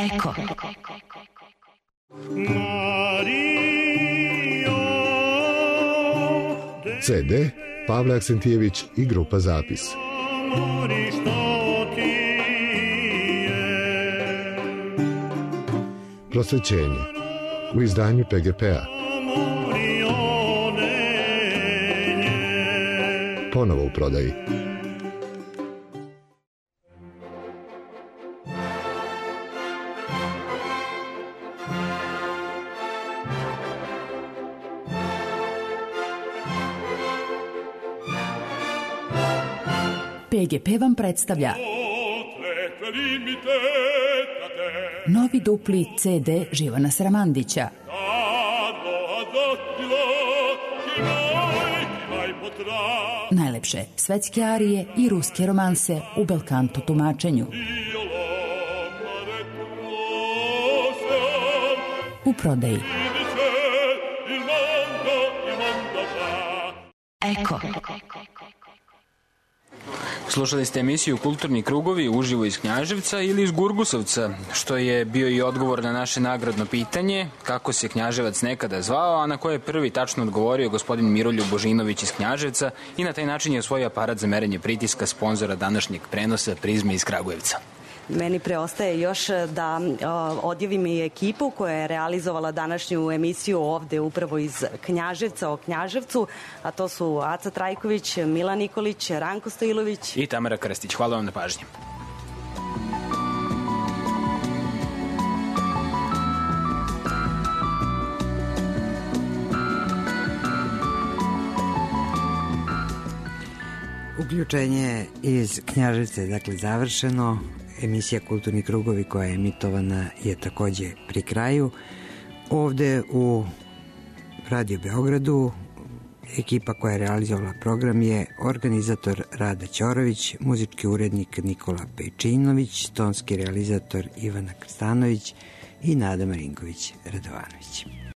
Eko. CD Pavle Aksentijević i grupa Zapis. Prosvećenje u izdanju PGP-a. Ponovo u prodaji. PGP vam predstavlja novi dupli CD Živana Sramandića. Najlepše svetske arije i ruske romanse u belkanto tumačenju. U prodaji. Eko. Slušali ste emisiju Kulturni krugovi uživo iz Knjaževca ili iz Gurgusovca, što je bio i odgovor na naše nagradno pitanje kako se Knjaževac nekada zvao, a na koje je prvi tačno odgovorio gospodin Miroljub Božinović iz Knjaževca i na taj način je osvojio aparat za merenje pritiska sponzora današnjeg prenosa Prizme iz Kragujevca. Meni preostaje još da odjavim i ekipu koja je realizovala današnju emisiju ovde upravo iz Knjaževca o Knjaževcu, a to su Aca Trajković, Milan Nikolić, Ranko Stojilović i Tamara Krstić. Hvala vam na pažnji. Uključenje iz Knjaževca je dakle završeno. Emisija Kulturni krugovi koja je emitovana je takođe pri kraju. Ovde u Radio Beogradu ekipa koja je realizovala program je organizator Rada Ćorović, muzički urednik Nikola Pejčinović, tonski realizator Ivana Krstanović i Nada Marinković Radovanović.